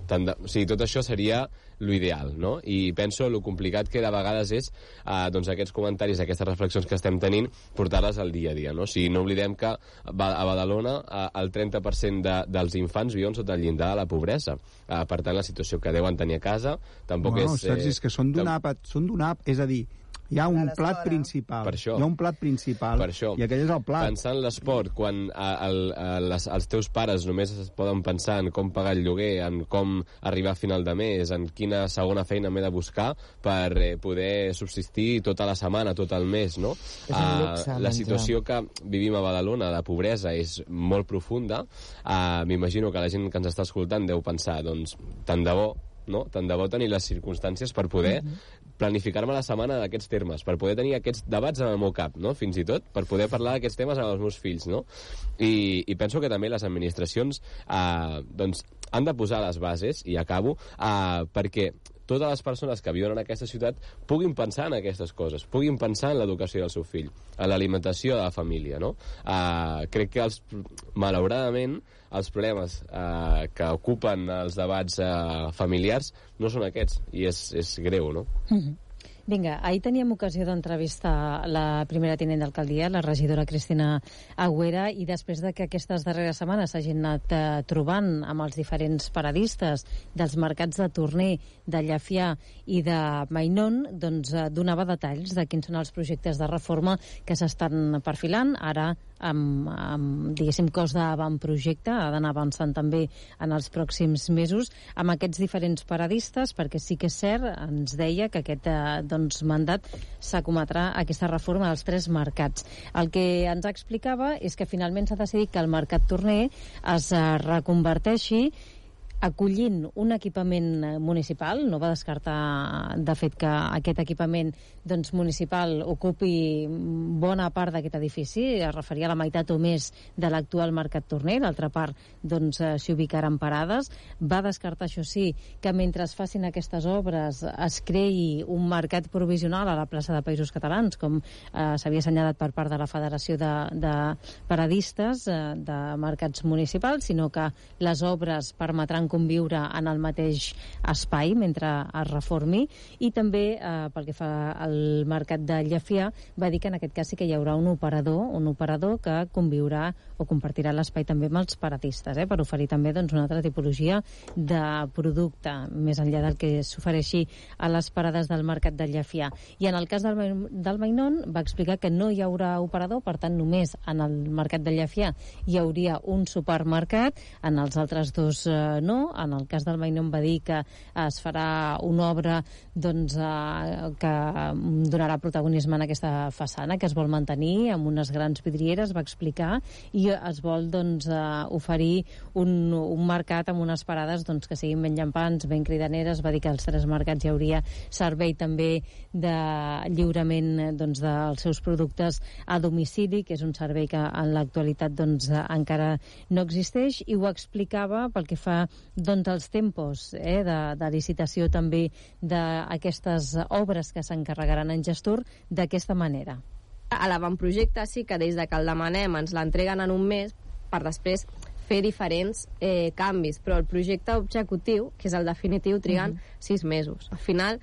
Speaker 12: tot això seria l'ideal, no? I penso lo complicat que de vegades és aquests comentaris, aquestes reflexions que estem tenint, portar-les al dia a dia, no? Si no oblidem que a Badalona el 30% dels infants viuen sota el llindar de la pobresa. Per tant, la situació que deuen tenir a casa tampoc és...
Speaker 11: Sergi, és que són d'un app, és a dir, hi ha un plat principal.
Speaker 12: Per això.
Speaker 11: Hi ha un plat principal.
Speaker 12: Per això.
Speaker 11: I aquell és el plat.
Speaker 12: Pensar en l'esport, quan els teus pares només es poden pensar en com pagar el lloguer, en com arribar a final de mes, en quina segona feina m'he de buscar per poder subsistir tota la setmana, tot el mes, no?
Speaker 9: És un luxe,
Speaker 12: la situació que vivim a Badalona, de pobresa, és molt profunda. M'imagino que la gent que ens està escoltant deu pensar, doncs, tant de bo, no? Tant de bo tenir les circumstàncies per poder planificar-me la setmana d'aquests termes, per poder tenir aquests debats en el meu cap, no? Fins i tot, per poder parlar d'aquests temes amb els meus fills, no? I penso que també les administracions doncs, han de posar les bases, i acabo, perquè totes les persones que viuen en aquesta ciutat puguin pensar en aquestes coses, puguin pensar en l'educació del seu fill, en l'alimentació de la família, no? Crec que, malauradament, els problemes que ocupen els debats familiars no són aquests, i és greu, no?
Speaker 2: Vinga, ahir teníem ocasió d'entrevistar la primera tinent d'alcaldia, la regidora Cristina Agüera, i després de que aquestes darreres setmanes s'hagin anat trobant amb els diferents paradistes dels mercats de Torner, de Llefià i de Mainón, doncs donava detalls de quins són els projectes de reforma que s'estan perfilant. Ara, amb diguéssim, cos d'avantprojecte, ha d'anar avançant també en els pròxims mesos amb aquests diferents paradistes, perquè sí que és cert, ens deia que aquest mandat s'acometrà aquesta reforma dels 3 mercats. El que ens explicava és que finalment s'ha decidit que el mercat Torner es reconverteixi acollint un equipament municipal. No va descartar, de fet, que aquest equipament municipal ocupi bona part d'aquest edifici. Es referia a la meitat o més de l'actual mercat Torner. L'altra part s'hi ubicaran parades. Va descartar, això sí, que mentre es facin aquestes obres es creï un mercat provisional a la plaça de Països Catalans, com s'havia assenyalat per part de la Federació de Paradistes de Mercats Municipals, sinó que les obres permetran conviure en el mateix espai mentre es reformi. I també, pel que fa al mercat de Llefià, va dir que en aquest cas sí que hi haurà un operador que conviurà o compartirà l'espai també amb els paradistes, per oferir també una altra tipologia de producte, més enllà del que s'ofereixi a les parades del mercat de Llefià. I en el cas del Mainón va explicar que no hi haurà operador, per tant només en el mercat de Llefià hi hauria un supermercat, en els altres 2 no. En el cas del Mainón va dir que es farà una obra que donarà protagonisme en aquesta façana, que es vol mantenir amb unes grans vidrieres, va explicar, i es vol oferir un mercat amb unes parades que siguin ben llampants, ben cridaneres. Va dir que als 3 mercats hi hauria servei també de lliurament dels seus productes a domicili, que és un servei que en l'actualitat encara no existeix, i ho explicava pel que fa als tempos de licitació també d'aquestes obres que s'encarregaran en Gestor d'aquesta manera.
Speaker 13: A l'avantprojecte sí que des que el demanem ens l'entreguen en un mes per després fer diferents canvis, però el projecte executiu, que és el definitiu, triguen 6 mesos. Al final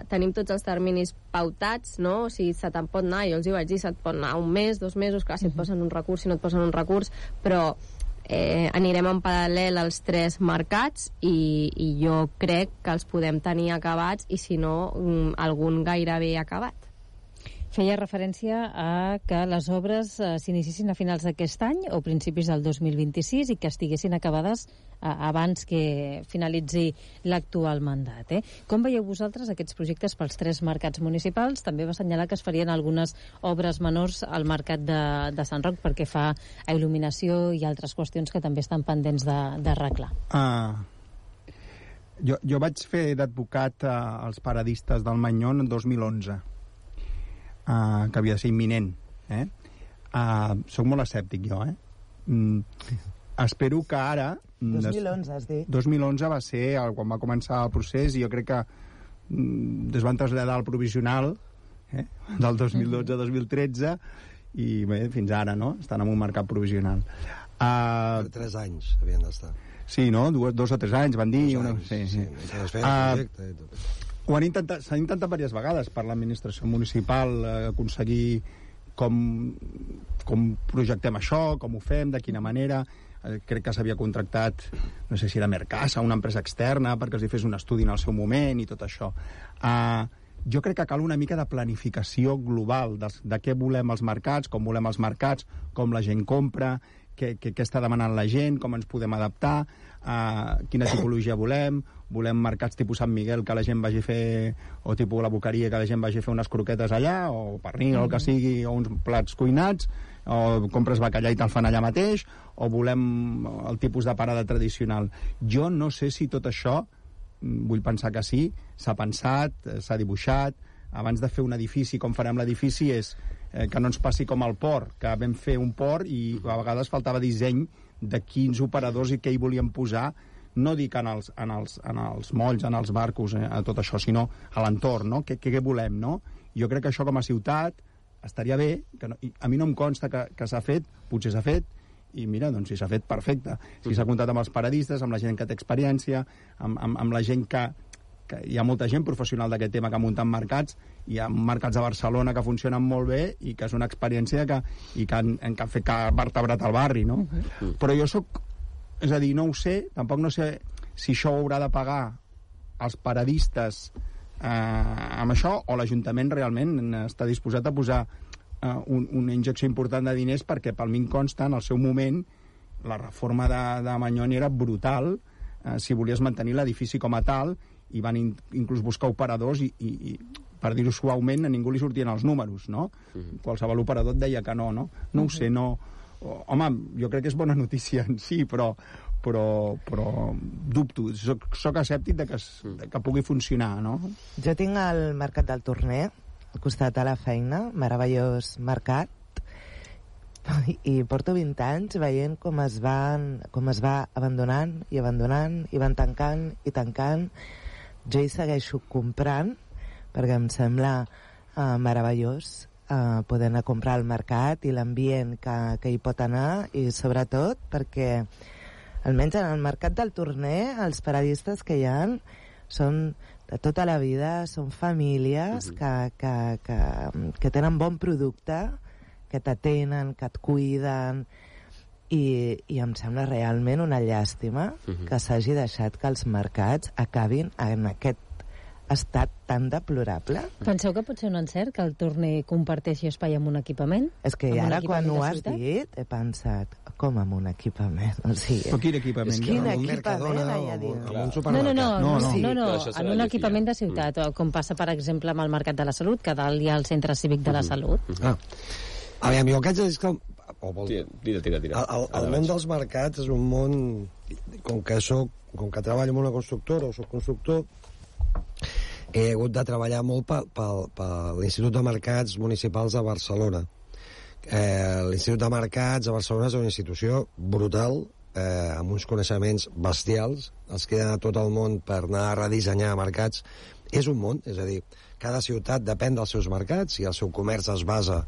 Speaker 13: tenim tots els terminis pautats, no? O sigui, se te'n pot anar, jo els hi vaig dir, se't pot anar un mes, 2 mesos, clar, si et posen un recurs, si no et posen un recurs, però anirem en paral·lel als 3 mercats i jo crec que els podem tenir acabats, i si no, algun gairebé acabat.
Speaker 2: Feia referència a que les obres s'inicien a finals d'aquest any o principis del 2026 i que estiguessin acabades abans que finalitzi l'actual mandat. Com veieu vosaltres aquests projectes pels 3 mercats municipals? També va assenyalar que es farien algunes obres menors al mercat de Sant Roc perquè fa a il·luminació i altres qüestions que també estan pendents d'arreglar.
Speaker 11: Jo vaig fer d'advocat als paradistes del Mainón en 2011. Que havia de ser imminent. Soc molt escèptic, jo. Espero que ara...
Speaker 9: 2011, has dit?
Speaker 11: 2011 va ser quan va començar el procés, i jo crec que es van traslladar al provisional del 2012-2013 i bé, fins ara, no? Estan en un mercat provisional.
Speaker 8: Per 3 anys havien d'estar.
Speaker 11: Sí, no? 2 o 3 anys, van dir.
Speaker 8: Sí. Projecte i tot.
Speaker 11: S'ha intentat diverses vegades per l'administració municipal aconseguir com projectem això, com ho fem, de quina manera. Crec que s'havia contractat, no sé si era Mercasa, una empresa externa, perquè els hi fes un estudi en el seu moment i tot això. Jo crec que cal una mica de planificació global de què volem els mercats, com volem els mercats, com la gent compra, què està demanant la gent, com ens podem adaptar, quina tipologia volem mercats tipus Sant Miguel que la gent vagi a fer, o tipus la Boqueria que la gent vagi a fer unes croquetes allà, o pernil, o el que sigui, o uns plats cuinats, o compres bacallà i te'l fan allà mateix, o volem el tipus de parada tradicional. Jo no sé si tot això, vull pensar que sí, s'ha pensat, s'ha dibuixat. Abans de fer un edifici, com farem l'edifici, és que no ens passi com al port, que vam fer un port i a vegades faltava disseny de quins operadors i què hi volíem posar, no dic en els molls, en els barcos, a tot això, sinó a l'entorn, no? Què volem, no? Jo crec que això com a ciutat estaria bé, a mi no em consta que s'ha fet, potser s'ha fet, i mira, doncs si s'ha fet, perfecte. Si s'ha comptat amb els paradistes, amb la gent que té experiència, amb la gent que hi ha molta gent professional d'aquest tema que ha muntat mercats, hi ha mercats a Barcelona que funcionen molt bé i que és una experiència que han fet que ha vertebrat el barri, no? Però jo és a dir, no ho sé, tampoc no sé si això ho haurà de pagar els paradistes amb això, o l'Ajuntament realment està disposat a posar una injecció important de diners, perquè pel mi em consta, en el seu moment, la reforma de Manyoni era brutal, si volies mantenir l'edifici com a tal, i van inclús buscar operadors i per dir-ho suaument, a ningú li sortien els números, no? Qualsevol operador et deia que no, no? No ho sé, no... Home, jo crec que és bona notícia en si, però dubto. Soc escèptic de que pugui funcionar, no?
Speaker 9: Jo tinc el Mercat del Torner, al costat de la feina, meravellós mercat, i porto 20 anys veient com es va abandonant, i van tancant i tancant. Jo hi segueixo comprant, perquè em sembla meravellós poder anar a comprar al mercat i l'ambient que hi pot anar, i sobretot perquè almenys en el Mercat del Torner els paradistes que hi ha són de tota la vida, són famílies que tenen bon producte, que t'atenen, que et cuiden, i em sembla realment una llàstima que s'hagi deixat que els mercats acabin en aquest estat tan deplorable.
Speaker 2: Penseu que pot ser un encert que el Torner comparteixi espai amb un equipament?
Speaker 9: És que ara quan ho has dit he pensat, com amb un equipament? O sigui,
Speaker 11: però quin equipament?
Speaker 9: Quin equipament hi ha dins?
Speaker 2: No, en un equipament de ciutat, com passa per exemple amb el Mercat de la Salut, que dalt hi ha el Centre Cívic de la Salut.
Speaker 8: Aviam, jo el que haig de dir és que
Speaker 12: Tira.
Speaker 8: El món dels mercats és un món, com que treballo en una constructora o soc constructor, he hagut de treballar molt per l'Institut de Mercats Municipals de Barcelona. L'Institut de Mercats de Barcelona és una institució brutal, amb uns coneixements bestials, els que han a tot el món per anar a redissenyar mercats. És un món, és a dir, cada ciutat depèn dels seus mercats i el seu comerç es basa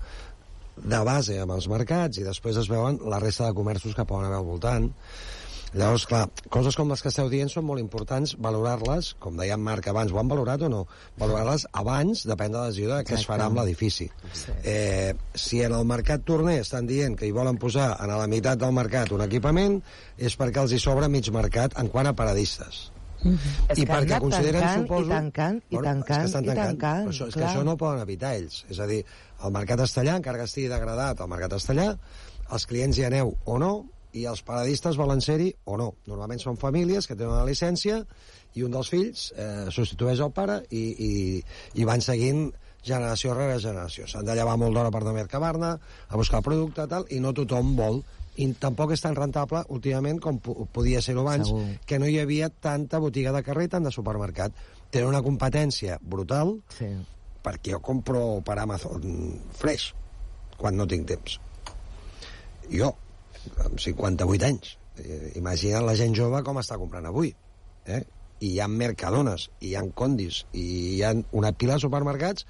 Speaker 8: de base amb els mercats i després es veuen la resta de comerços que poden haver al voltant. Llavors, clar, coses com les que esteu dient són molt importants, valorar-les, com deia en Marc abans, ho han valorat o no? Valorar-les abans depèn de la decisió de què es farà amb l'edifici. Si en el Mercat Torner estan dient que hi volen posar a la meitat del mercat un equipament, és perquè els hi sobra mig mercat en quant a paradistes. I perquè consideren, suposo...
Speaker 9: I tancant.
Speaker 8: Però és que això no ho poden evitar ells. És a dir, el mercat Estellà, encara que estigui degradat el mercat Estellà, els clients hi aneu o no, i els paradistes volen ser-hi o no. Normalment són famílies que tenen una llicència i un dels fills substitueix el pare i van seguint generació rere generació. S'han de llevar molt d'hora per anar a Mercabarna, a buscar producte, tal, i no tothom vol. I tampoc és tan rentable últimament com podia ser-ho abans, que no hi havia tanta botiga de carrer i tant de supermercat. Tenen una competència brutal, perquè jo compro per Amazon fresh quan no tinc temps. Jo, amb 58 anys. Imagina't la gent jove com està comprant avui. I hi ha Mercadones, i hi ha Condis, i hi ha una pila de supermercats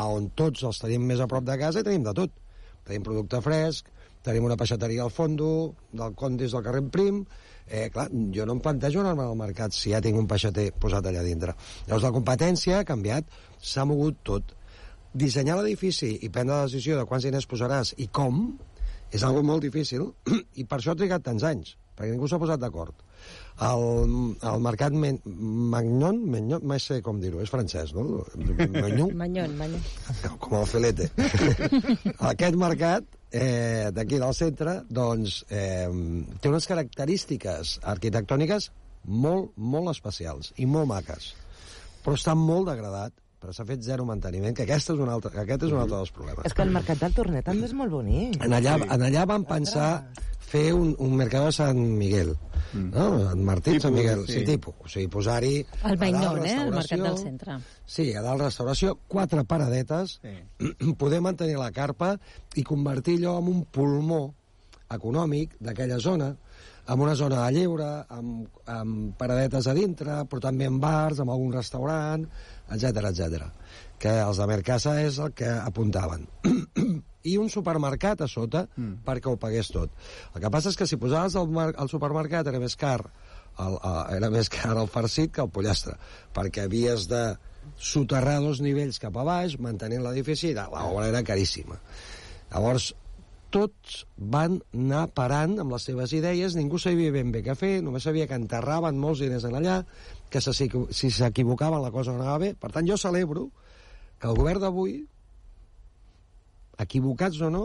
Speaker 8: on tots els tenim més a prop de casa i tenim de tot. Tenim producte fresc, tenim una peixateria al fondo, del Condis del carrer Prim. Clar, jo no em plantejo anar al mercat si ja tinc un peixater posat allà dintre. Llavors la competència ha canviat, s'ha mogut tot. Dissenyar l'edifici i prendre la decisió de quants diners posaràs i com és algo molt difícil i per això ha trigat tants anys, perquè ningú s'ha posat d'acord. El mercat Magnon, mai sé com dir-ho, és francès, no?
Speaker 2: Magnon.
Speaker 8: Com el Felete. Aquest mercat d'aquí del centre, doncs, té unes característiques arquitectòniques molt, molt especials i molt maques, però està molt degradat, però s'ha fet zero manteniment, que aquest és un altre dels problemes.
Speaker 9: És que el Mercat del Torner també és molt bonic.
Speaker 8: En allà van pensar fer un mercat de Sant Miguel, no? Sant Martí, Sant Miguel, sí, tipus. O sigui, posar-hi...
Speaker 2: El Magnon, el mercat del centre.
Speaker 8: Sí, a dalt restauració, 4 paradetes, poder mantenir la carpa i convertir allò en un pulmó econòmic d'aquella zona, amb una zona de lleure, amb paradetes a dintre, però també amb bars, amb algun restaurant, etc. Que els de Mercasa és el que apuntaven. I un supermercat a sota perquè ho pagués tot. El que passa és que si posaves al supermercat era més car el farcit que el pollastre, perquè havies de soterrar 2 nivells cap a baix, mantenint l'edifici, i l'obra era caríssima. Llavors, tots van anar parant amb les seves idees, ningú sabia ben bé què fer, només sabia que enterraven molts diners en allà, que si s'equivocaven la cosa no anava bé. Per tant, jo celebro que el govern d'avui, equivocats o no,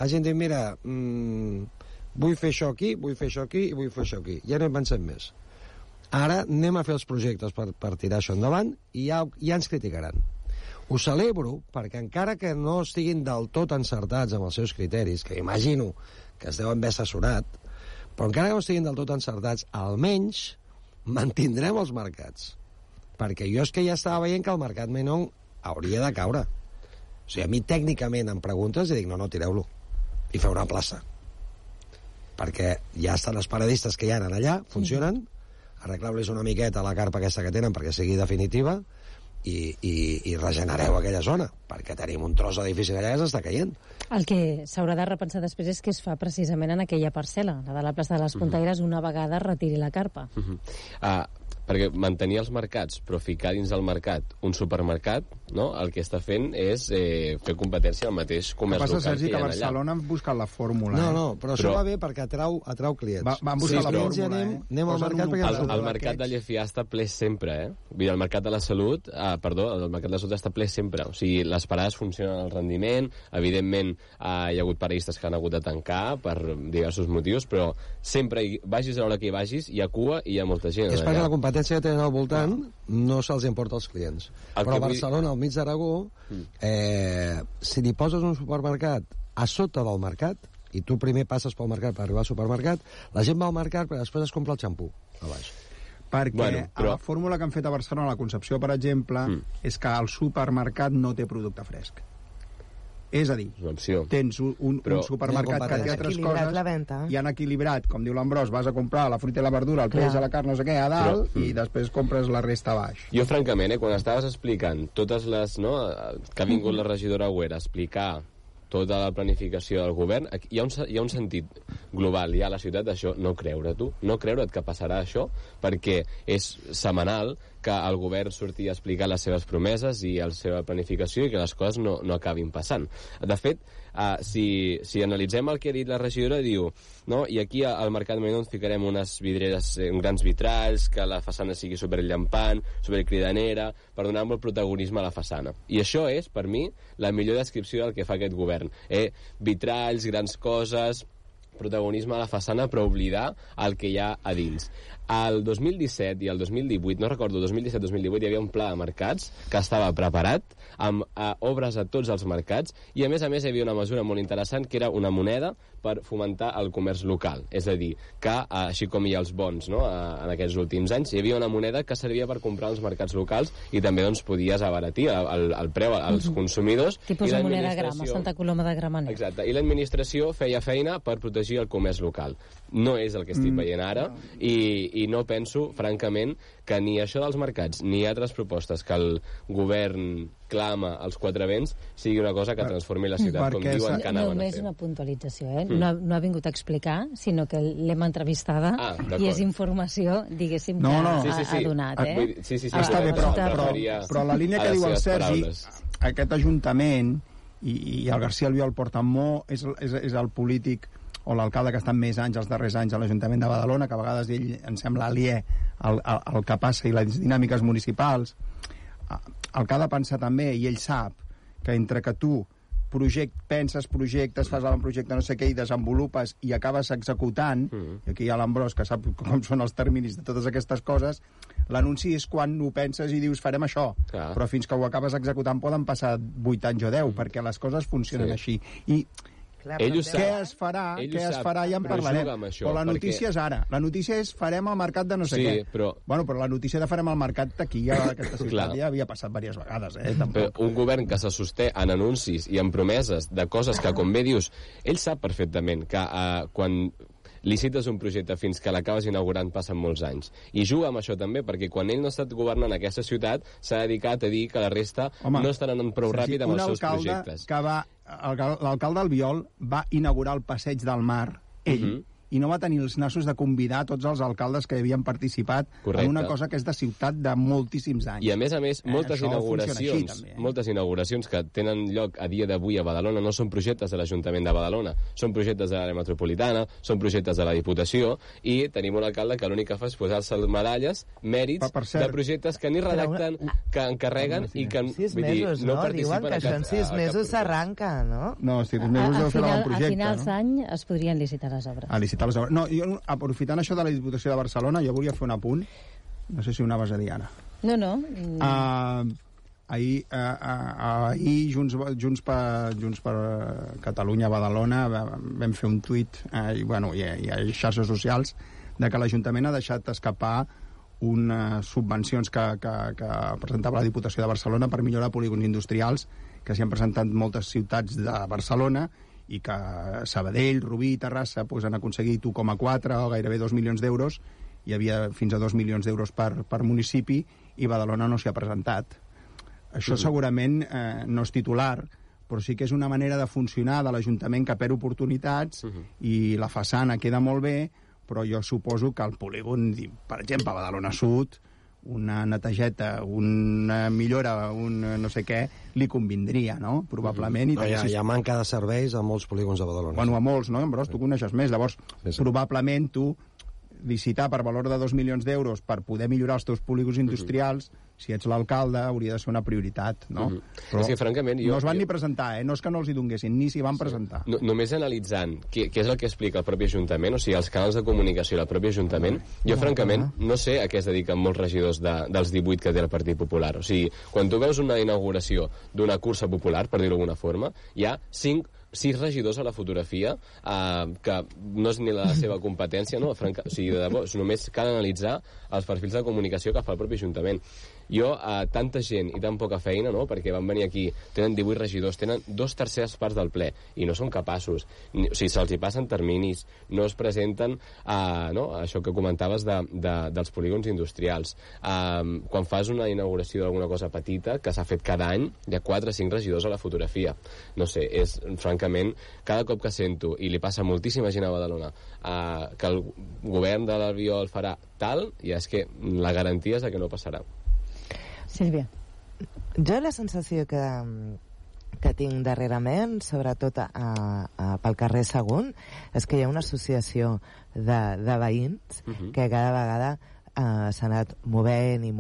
Speaker 8: hagin dit, mira, vull fer això aquí, vull fer això aquí i vull fer això aquí. Ja no hi pensem més. Ara anem a fer els projectes per tirar això endavant i ja ens criticaran. Ho celebro perquè encara que no estiguin del tot encertats amb els seus criteris, que imagino que es deuen haver assessorat, però encara que no estiguin del tot encertats, almenys mantindrem els mercats. Perquè jo és que ja estava veient que el mercat menor hauria de caure. O sigui, a mi tècnicament em preguntes i dic, no, tireu-lo. I feu una plaça. Perquè ja estan els paradistes que hi ha allà, funcionen, arreglar-los una miqueta la carpa aquesta que tenen perquè sigui definitiva, i regenereu aquella zona, perquè tenim un tros d'edifici allà que s'està caient.
Speaker 2: El que s'haurà de repensar després és què es fa precisament en aquella parcel·la, la de la plaça de les Puntaires, una vegada retiri la carpa.
Speaker 12: Perquè mantenir els mercats, però ficar dins del mercat un supermercat, no? El que està fent és fer competència al mateix comerç local que hi ha allà.
Speaker 11: Sergi, que a Barcelona han buscat la fórmula.
Speaker 8: No, però això va bé perquè atrau clients.
Speaker 11: Van buscar la fórmula,
Speaker 8: anem al mercat perquè...
Speaker 12: El mercat de Llefià està ple sempre, Vull dir, el mercat de la salut, el mercat de la salut està ple sempre. O sigui, les parades funcionen al rendiment, evidentment hi ha hagut paradistes que han hagut de tancar per diversos motius, però sempre, vagis a l'hora que hi vagis, hi ha cua i hi ha molta gent.
Speaker 8: És perquè la competència que tenen al voltant no se'ls importa als clients. Però a Barcelona, al mig d'Aragó, si li poses un supermercat a sota del mercat, i tu primer passes pel mercat per arribar al supermercat, la gent va al mercat però després es compra el xampú a baix.
Speaker 11: Perquè a la fórmula que han fet a Barcelona, a la Concepció, per exemple, és que el supermercat no té producte fresc. És a dir, tens un supermercat que té altres coses i han equilibrat, com diu l'Ambròs, vas a comprar la fruita i la verdura, el peix, la carn, no sé què, a dalt, i després compres la resta a baix.
Speaker 12: Jo, francament, quan estaves explicant totes les... que ha vingut la regidora Agüera a explicar tota la planificació del govern, hi ha un sentit global, hi ha a la ciutat d'això, no creure't que passarà això, perquè és setmanal que el govern surti a explicar les seves promeses i la seva planificació i que les coses no acabin passant. De fet, si analitzem el que ha dit la regidora, diu, i aquí al Mercat Menor ficarem unes vidreres, uns grans vitralls, que la façana sigui superllampant, supercridanera, per donar molt protagonisme a la façana. I això és, per mi, la millor descripció del que fa aquest govern. Vitralls, grans coses, protagonisme a la façana, però oblidar el que hi ha a dins. El 2017 i el 2018, no recordo, 2017-2018 hi havia un pla de mercats que estava preparat amb obres a tots els mercats i a més hi havia una mesura molt interessant que era una moneda per fomentar el comerç local. És a dir, que així com hi ha els bons en aquests últims anys, hi havia una moneda que servia per comprar els mercats locals i també podies abaratir el preu als consumidors.
Speaker 2: Tipus de moneda grama, Santa Coloma de Gramenet.
Speaker 12: Exacte, i l'administració feia feina per protegir el comerç local. No és el que estic veient ara i no penso, francament, que ni això dels mercats ni altres propostes que el govern clama als quatre vents sigui una cosa que transformi la ciutat com diuen que anaven a fer.
Speaker 2: Només una puntualització, no ha vingut a explicar, sinó que l'hem entrevistada i és informació, diguéssim, que ha donat.
Speaker 11: Està bé, però la línia que diu el Sergi, aquest Ajuntament, i el García Albiol porta molt, és el polític o l'alcalde que està més anys, els darrers anys, a l'Ajuntament de Badalona, que a vegades ell em sembla aliè al que passa i les dinàmiques municipals. El que ha de pensar també, i ell sap, que entre que tu penses projectes, fas l'avantprojecte, no sé què, i desenvolupes i acabes executant, i aquí hi ha l'Ambròs, que sap com són els terminis de totes aquestes coses, l'anunci és quan ho penses i dius farem això, però fins que ho acabes executant poden passar 8 anys o 10, perquè les coses funcionen així. I què es farà ja en parlarem, però la notícia és ara, la notícia és farem el mercat de no sé què, però la notícia de farem el mercat d'aquí a aquesta ciutat ja havia passat diverses vegades,
Speaker 12: però un govern que se sosté en anuncis i en promeses de coses que, com bé dius, ell sap perfectament que quan licites un projecte fins que l'acabes inaugurant passen molts anys. I juga amb això també, perquè quan ell no ha estat governant aquesta ciutat, s'ha dedicat a dir que la resta no estan anant prou ràpid amb els seus projectes.
Speaker 11: L'alcalde Albiol va inaugurar el Passeig del Mar, ell, i no va tenir els nassos de convidar tots els alcaldes que havien participat en una cosa que és de ciutat de moltíssims anys.
Speaker 12: I a més, moltes inauguracions que tenen lloc a dia d'avui a Badalona no són projectes de l'Ajuntament de Badalona, són projectes de l'àrea metropolitana, són projectes de la Diputació, i tenim un alcalde que l'únic que fa és posar-se medalles, mèrits de projectes que ni redacten, que encarreguen i que no participen.
Speaker 9: Diuen que això en 6 mesos s'arranca, no?
Speaker 11: No, 6 mesos deu fer l'avantprojecte.
Speaker 2: A finals d'any es podrien licitar les obres.
Speaker 11: No, jo, aprofitant això de la Diputació de Barcelona, jo volia fer un apunt. No sé si ho anaves a dir ara.
Speaker 2: No.
Speaker 11: Ahir Junts per Catalunya Badalona vam fer un tuit i a xarxes socials de que l'Ajuntament ha deixat escapar unes subvencions que presentava la Diputació de Barcelona per millorar polígons industrials que s'hi han presentat moltes ciutats de Barcelona i que Sabadell, Rubí i Terrassa han aconseguit 1,4 o gairebé 2 milions d'euros. Hi havia fins a 2 milions d'euros per municipi i Badalona no s'hi ha presentat. Això segurament no és titular, però sí que és una manera de funcionar de l'Ajuntament que perd oportunitats i la façana queda molt bé, però jo suposo que el polígon, per exemple, a Badalona Sud, una netejeta, una millora, un no sé què, li convindria, no? Probablement.
Speaker 8: Hi ha manca de serveis a molts polígons de Badalona.
Speaker 11: Bueno, a molts, no? Però tu coneixes més. Llavors, probablement tu licitar per valor de 2 milions d'euros per poder millorar els teus polígons industrials, si ets l'alcalde, hauria de ser una prioritat, no? Però
Speaker 12: és que, francament,
Speaker 11: no es van ni presentar, no és que no els hi donguessin, ni s'hi van presentar.
Speaker 12: Només analitzant què és el que explica el propi Ajuntament, o sigui, els canals de comunicació i el propi Ajuntament, jo, francament, no sé a què es dediquen molts regidors dels 18 que té el Partit Popular. O sigui, quan tu veus una inauguració d'una cursa popular, per dir-ho d'alguna forma, hi ha 6 regidors a la fotografia que no és ni la seva competència, no? O sigui, de debò, només cal analitzar els perfils de comunicació que fa el propi Ajuntament. Jo, tanta gent i tan poca feina, no? Perquè van venir aquí, tenen 18 regidors, tenen 2/3 parts del ple, i no són capaços. O sigui, se'ls hi passen terminis, no es presenten això que comentaves dels polígons industrials. Quan fas una inauguració d'alguna cosa petita, que s'ha fet cada any, hi ha 4 o 5 regidors a la fotografia. No sé, és, francament, cada cop que sento, i li passa moltíssima gent a Badalona, que el govern de l'Albiol farà tal, i és que la garantia és que no passarà.
Speaker 2: Sílvia.
Speaker 9: Jo la sensació que tinc darrerament, sobretot pel carrer Sagunt, és que hi ha una associació de veïns que cada vegada s'ha anat movent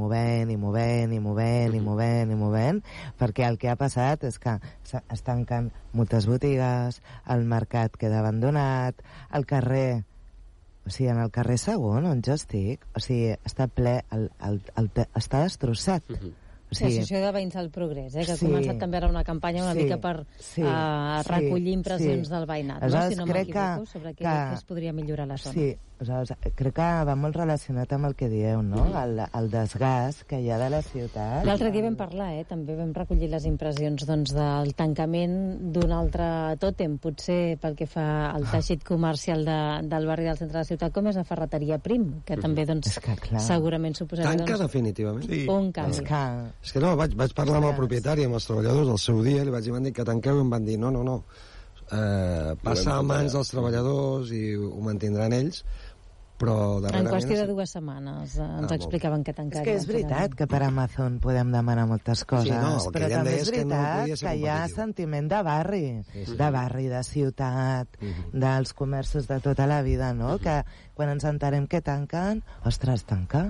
Speaker 9: perquè el que ha passat és que es tanquen moltes botigues, el mercat queda abandonat, el carrer, o sigui, en el carrer Sagunt, on jo estic, o sigui, està ple, està destrossat.
Speaker 2: O sigui, L'associació de Veïns del Progrés, que ha començat també ara una campanya una mica per recollir impressions del veïnat, si no m'equivoco, sobre què es podria millorar la zona.
Speaker 9: Sí, crec que va molt relacionat amb el que dieu, no? El desgast que hi ha de la ciutat.
Speaker 2: L'altre dia vam parlar, també vam recollir les impressions del tancament d'un altre tòtem, potser pel que fa al teixit comercial del barri del centre de la ciutat, com és la ferreteria Prim, que també segurament suposaria...
Speaker 8: Tanca definitivament?
Speaker 2: Un canvi.
Speaker 8: És que no, vaig parlar amb el propietari, amb els treballadors, al seu dia, li vaig dir, van dir que tanqueu, i em van dir, no, passa a mans dels treballadors i ho mantindran ells, però darrerament...
Speaker 2: En qüestió de 2 setmanes ens explicaven que tancarien.
Speaker 9: És que és veritat que per Amazon podem demanar moltes coses, però també és veritat que hi ha sentiment de barri, de ciutat, dels comerços de tota la vida, no? Que quan ens entenem que tanquen, ostres, tanca.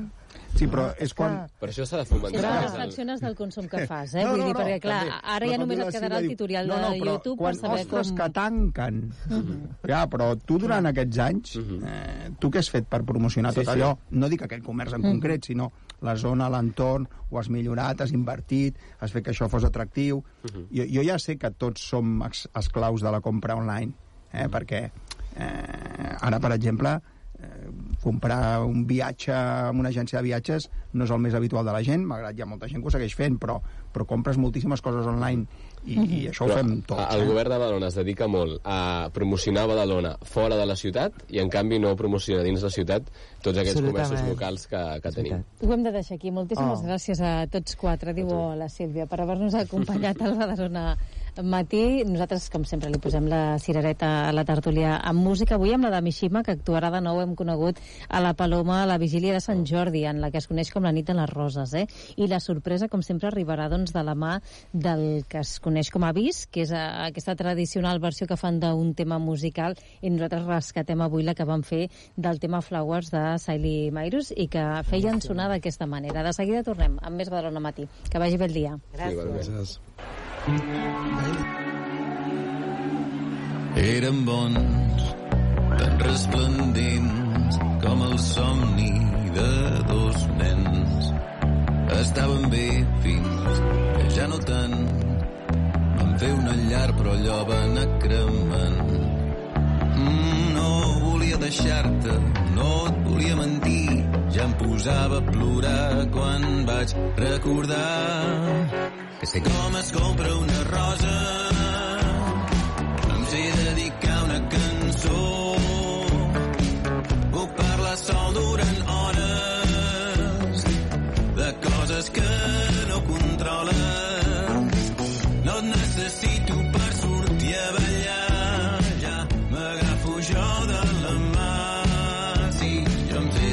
Speaker 11: Sí, però és quan...
Speaker 12: Per això s'ha de fomentar.
Speaker 2: Però reflexiones del consum que fas, vull dir, perquè, clar, ara ja només et quedarà el tutorial de YouTube per saber com...
Speaker 11: Ostres, que tanquen. Ja, però tu durant aquests anys, tu què has fet per promocionar tot allò? No dic aquell comerç en concret, sinó la zona, l'entorn, ho has millorat, has invertit, has fet que això fos atractiu. Jo ja sé que tots som esclaus de la compra online, perquè ara, per exemple, comprar un viatge amb una agència de viatges no és el més habitual de la gent, malgrat hi ha molta gent que ho segueix fent, però compres moltíssimes coses online i això ho fem tots.
Speaker 12: El govern de Badalona es dedica molt a promocionar Badalona fora de la ciutat i en canvi no promociona dins la ciutat tots aquests comerços locals que tenim.
Speaker 2: Ho hem de deixar aquí. Moltíssimes gràcies a tots quatre, diu la Sílvia, per haver-nos acompanyat al Badalona Matí. Nosaltres, com sempre, li posem la cirereta a la tertúlia amb música. Avui amb la de Mishima, que actuarà de nou, hem conegut a la Paloma a la vigília de Sant Jordi, en la que es coneix com la nit de les roses, I la sorpresa, com sempre, arribarà doncs, de la mà del que es coneix com a Bis, que és aquesta tradicional versió que fan d'un tema musical, i nosaltres rescatem avui la que van fer del tema Flowers de Siley Cyrus i que feien sonar d'aquesta manera. De seguida tornem amb més Badalona Matí. Que vagi bé el dia.
Speaker 8: Gràcies.
Speaker 14: Eren bons, tan resplendents com el somni de dos nens. Estaven bé fins que ja no tant. Van fer una llar però allò va anar cremant. No volia deixar-te, no et volia mentir. Ja em posava a plorar quan vaig recordar que sé com es compra una rosa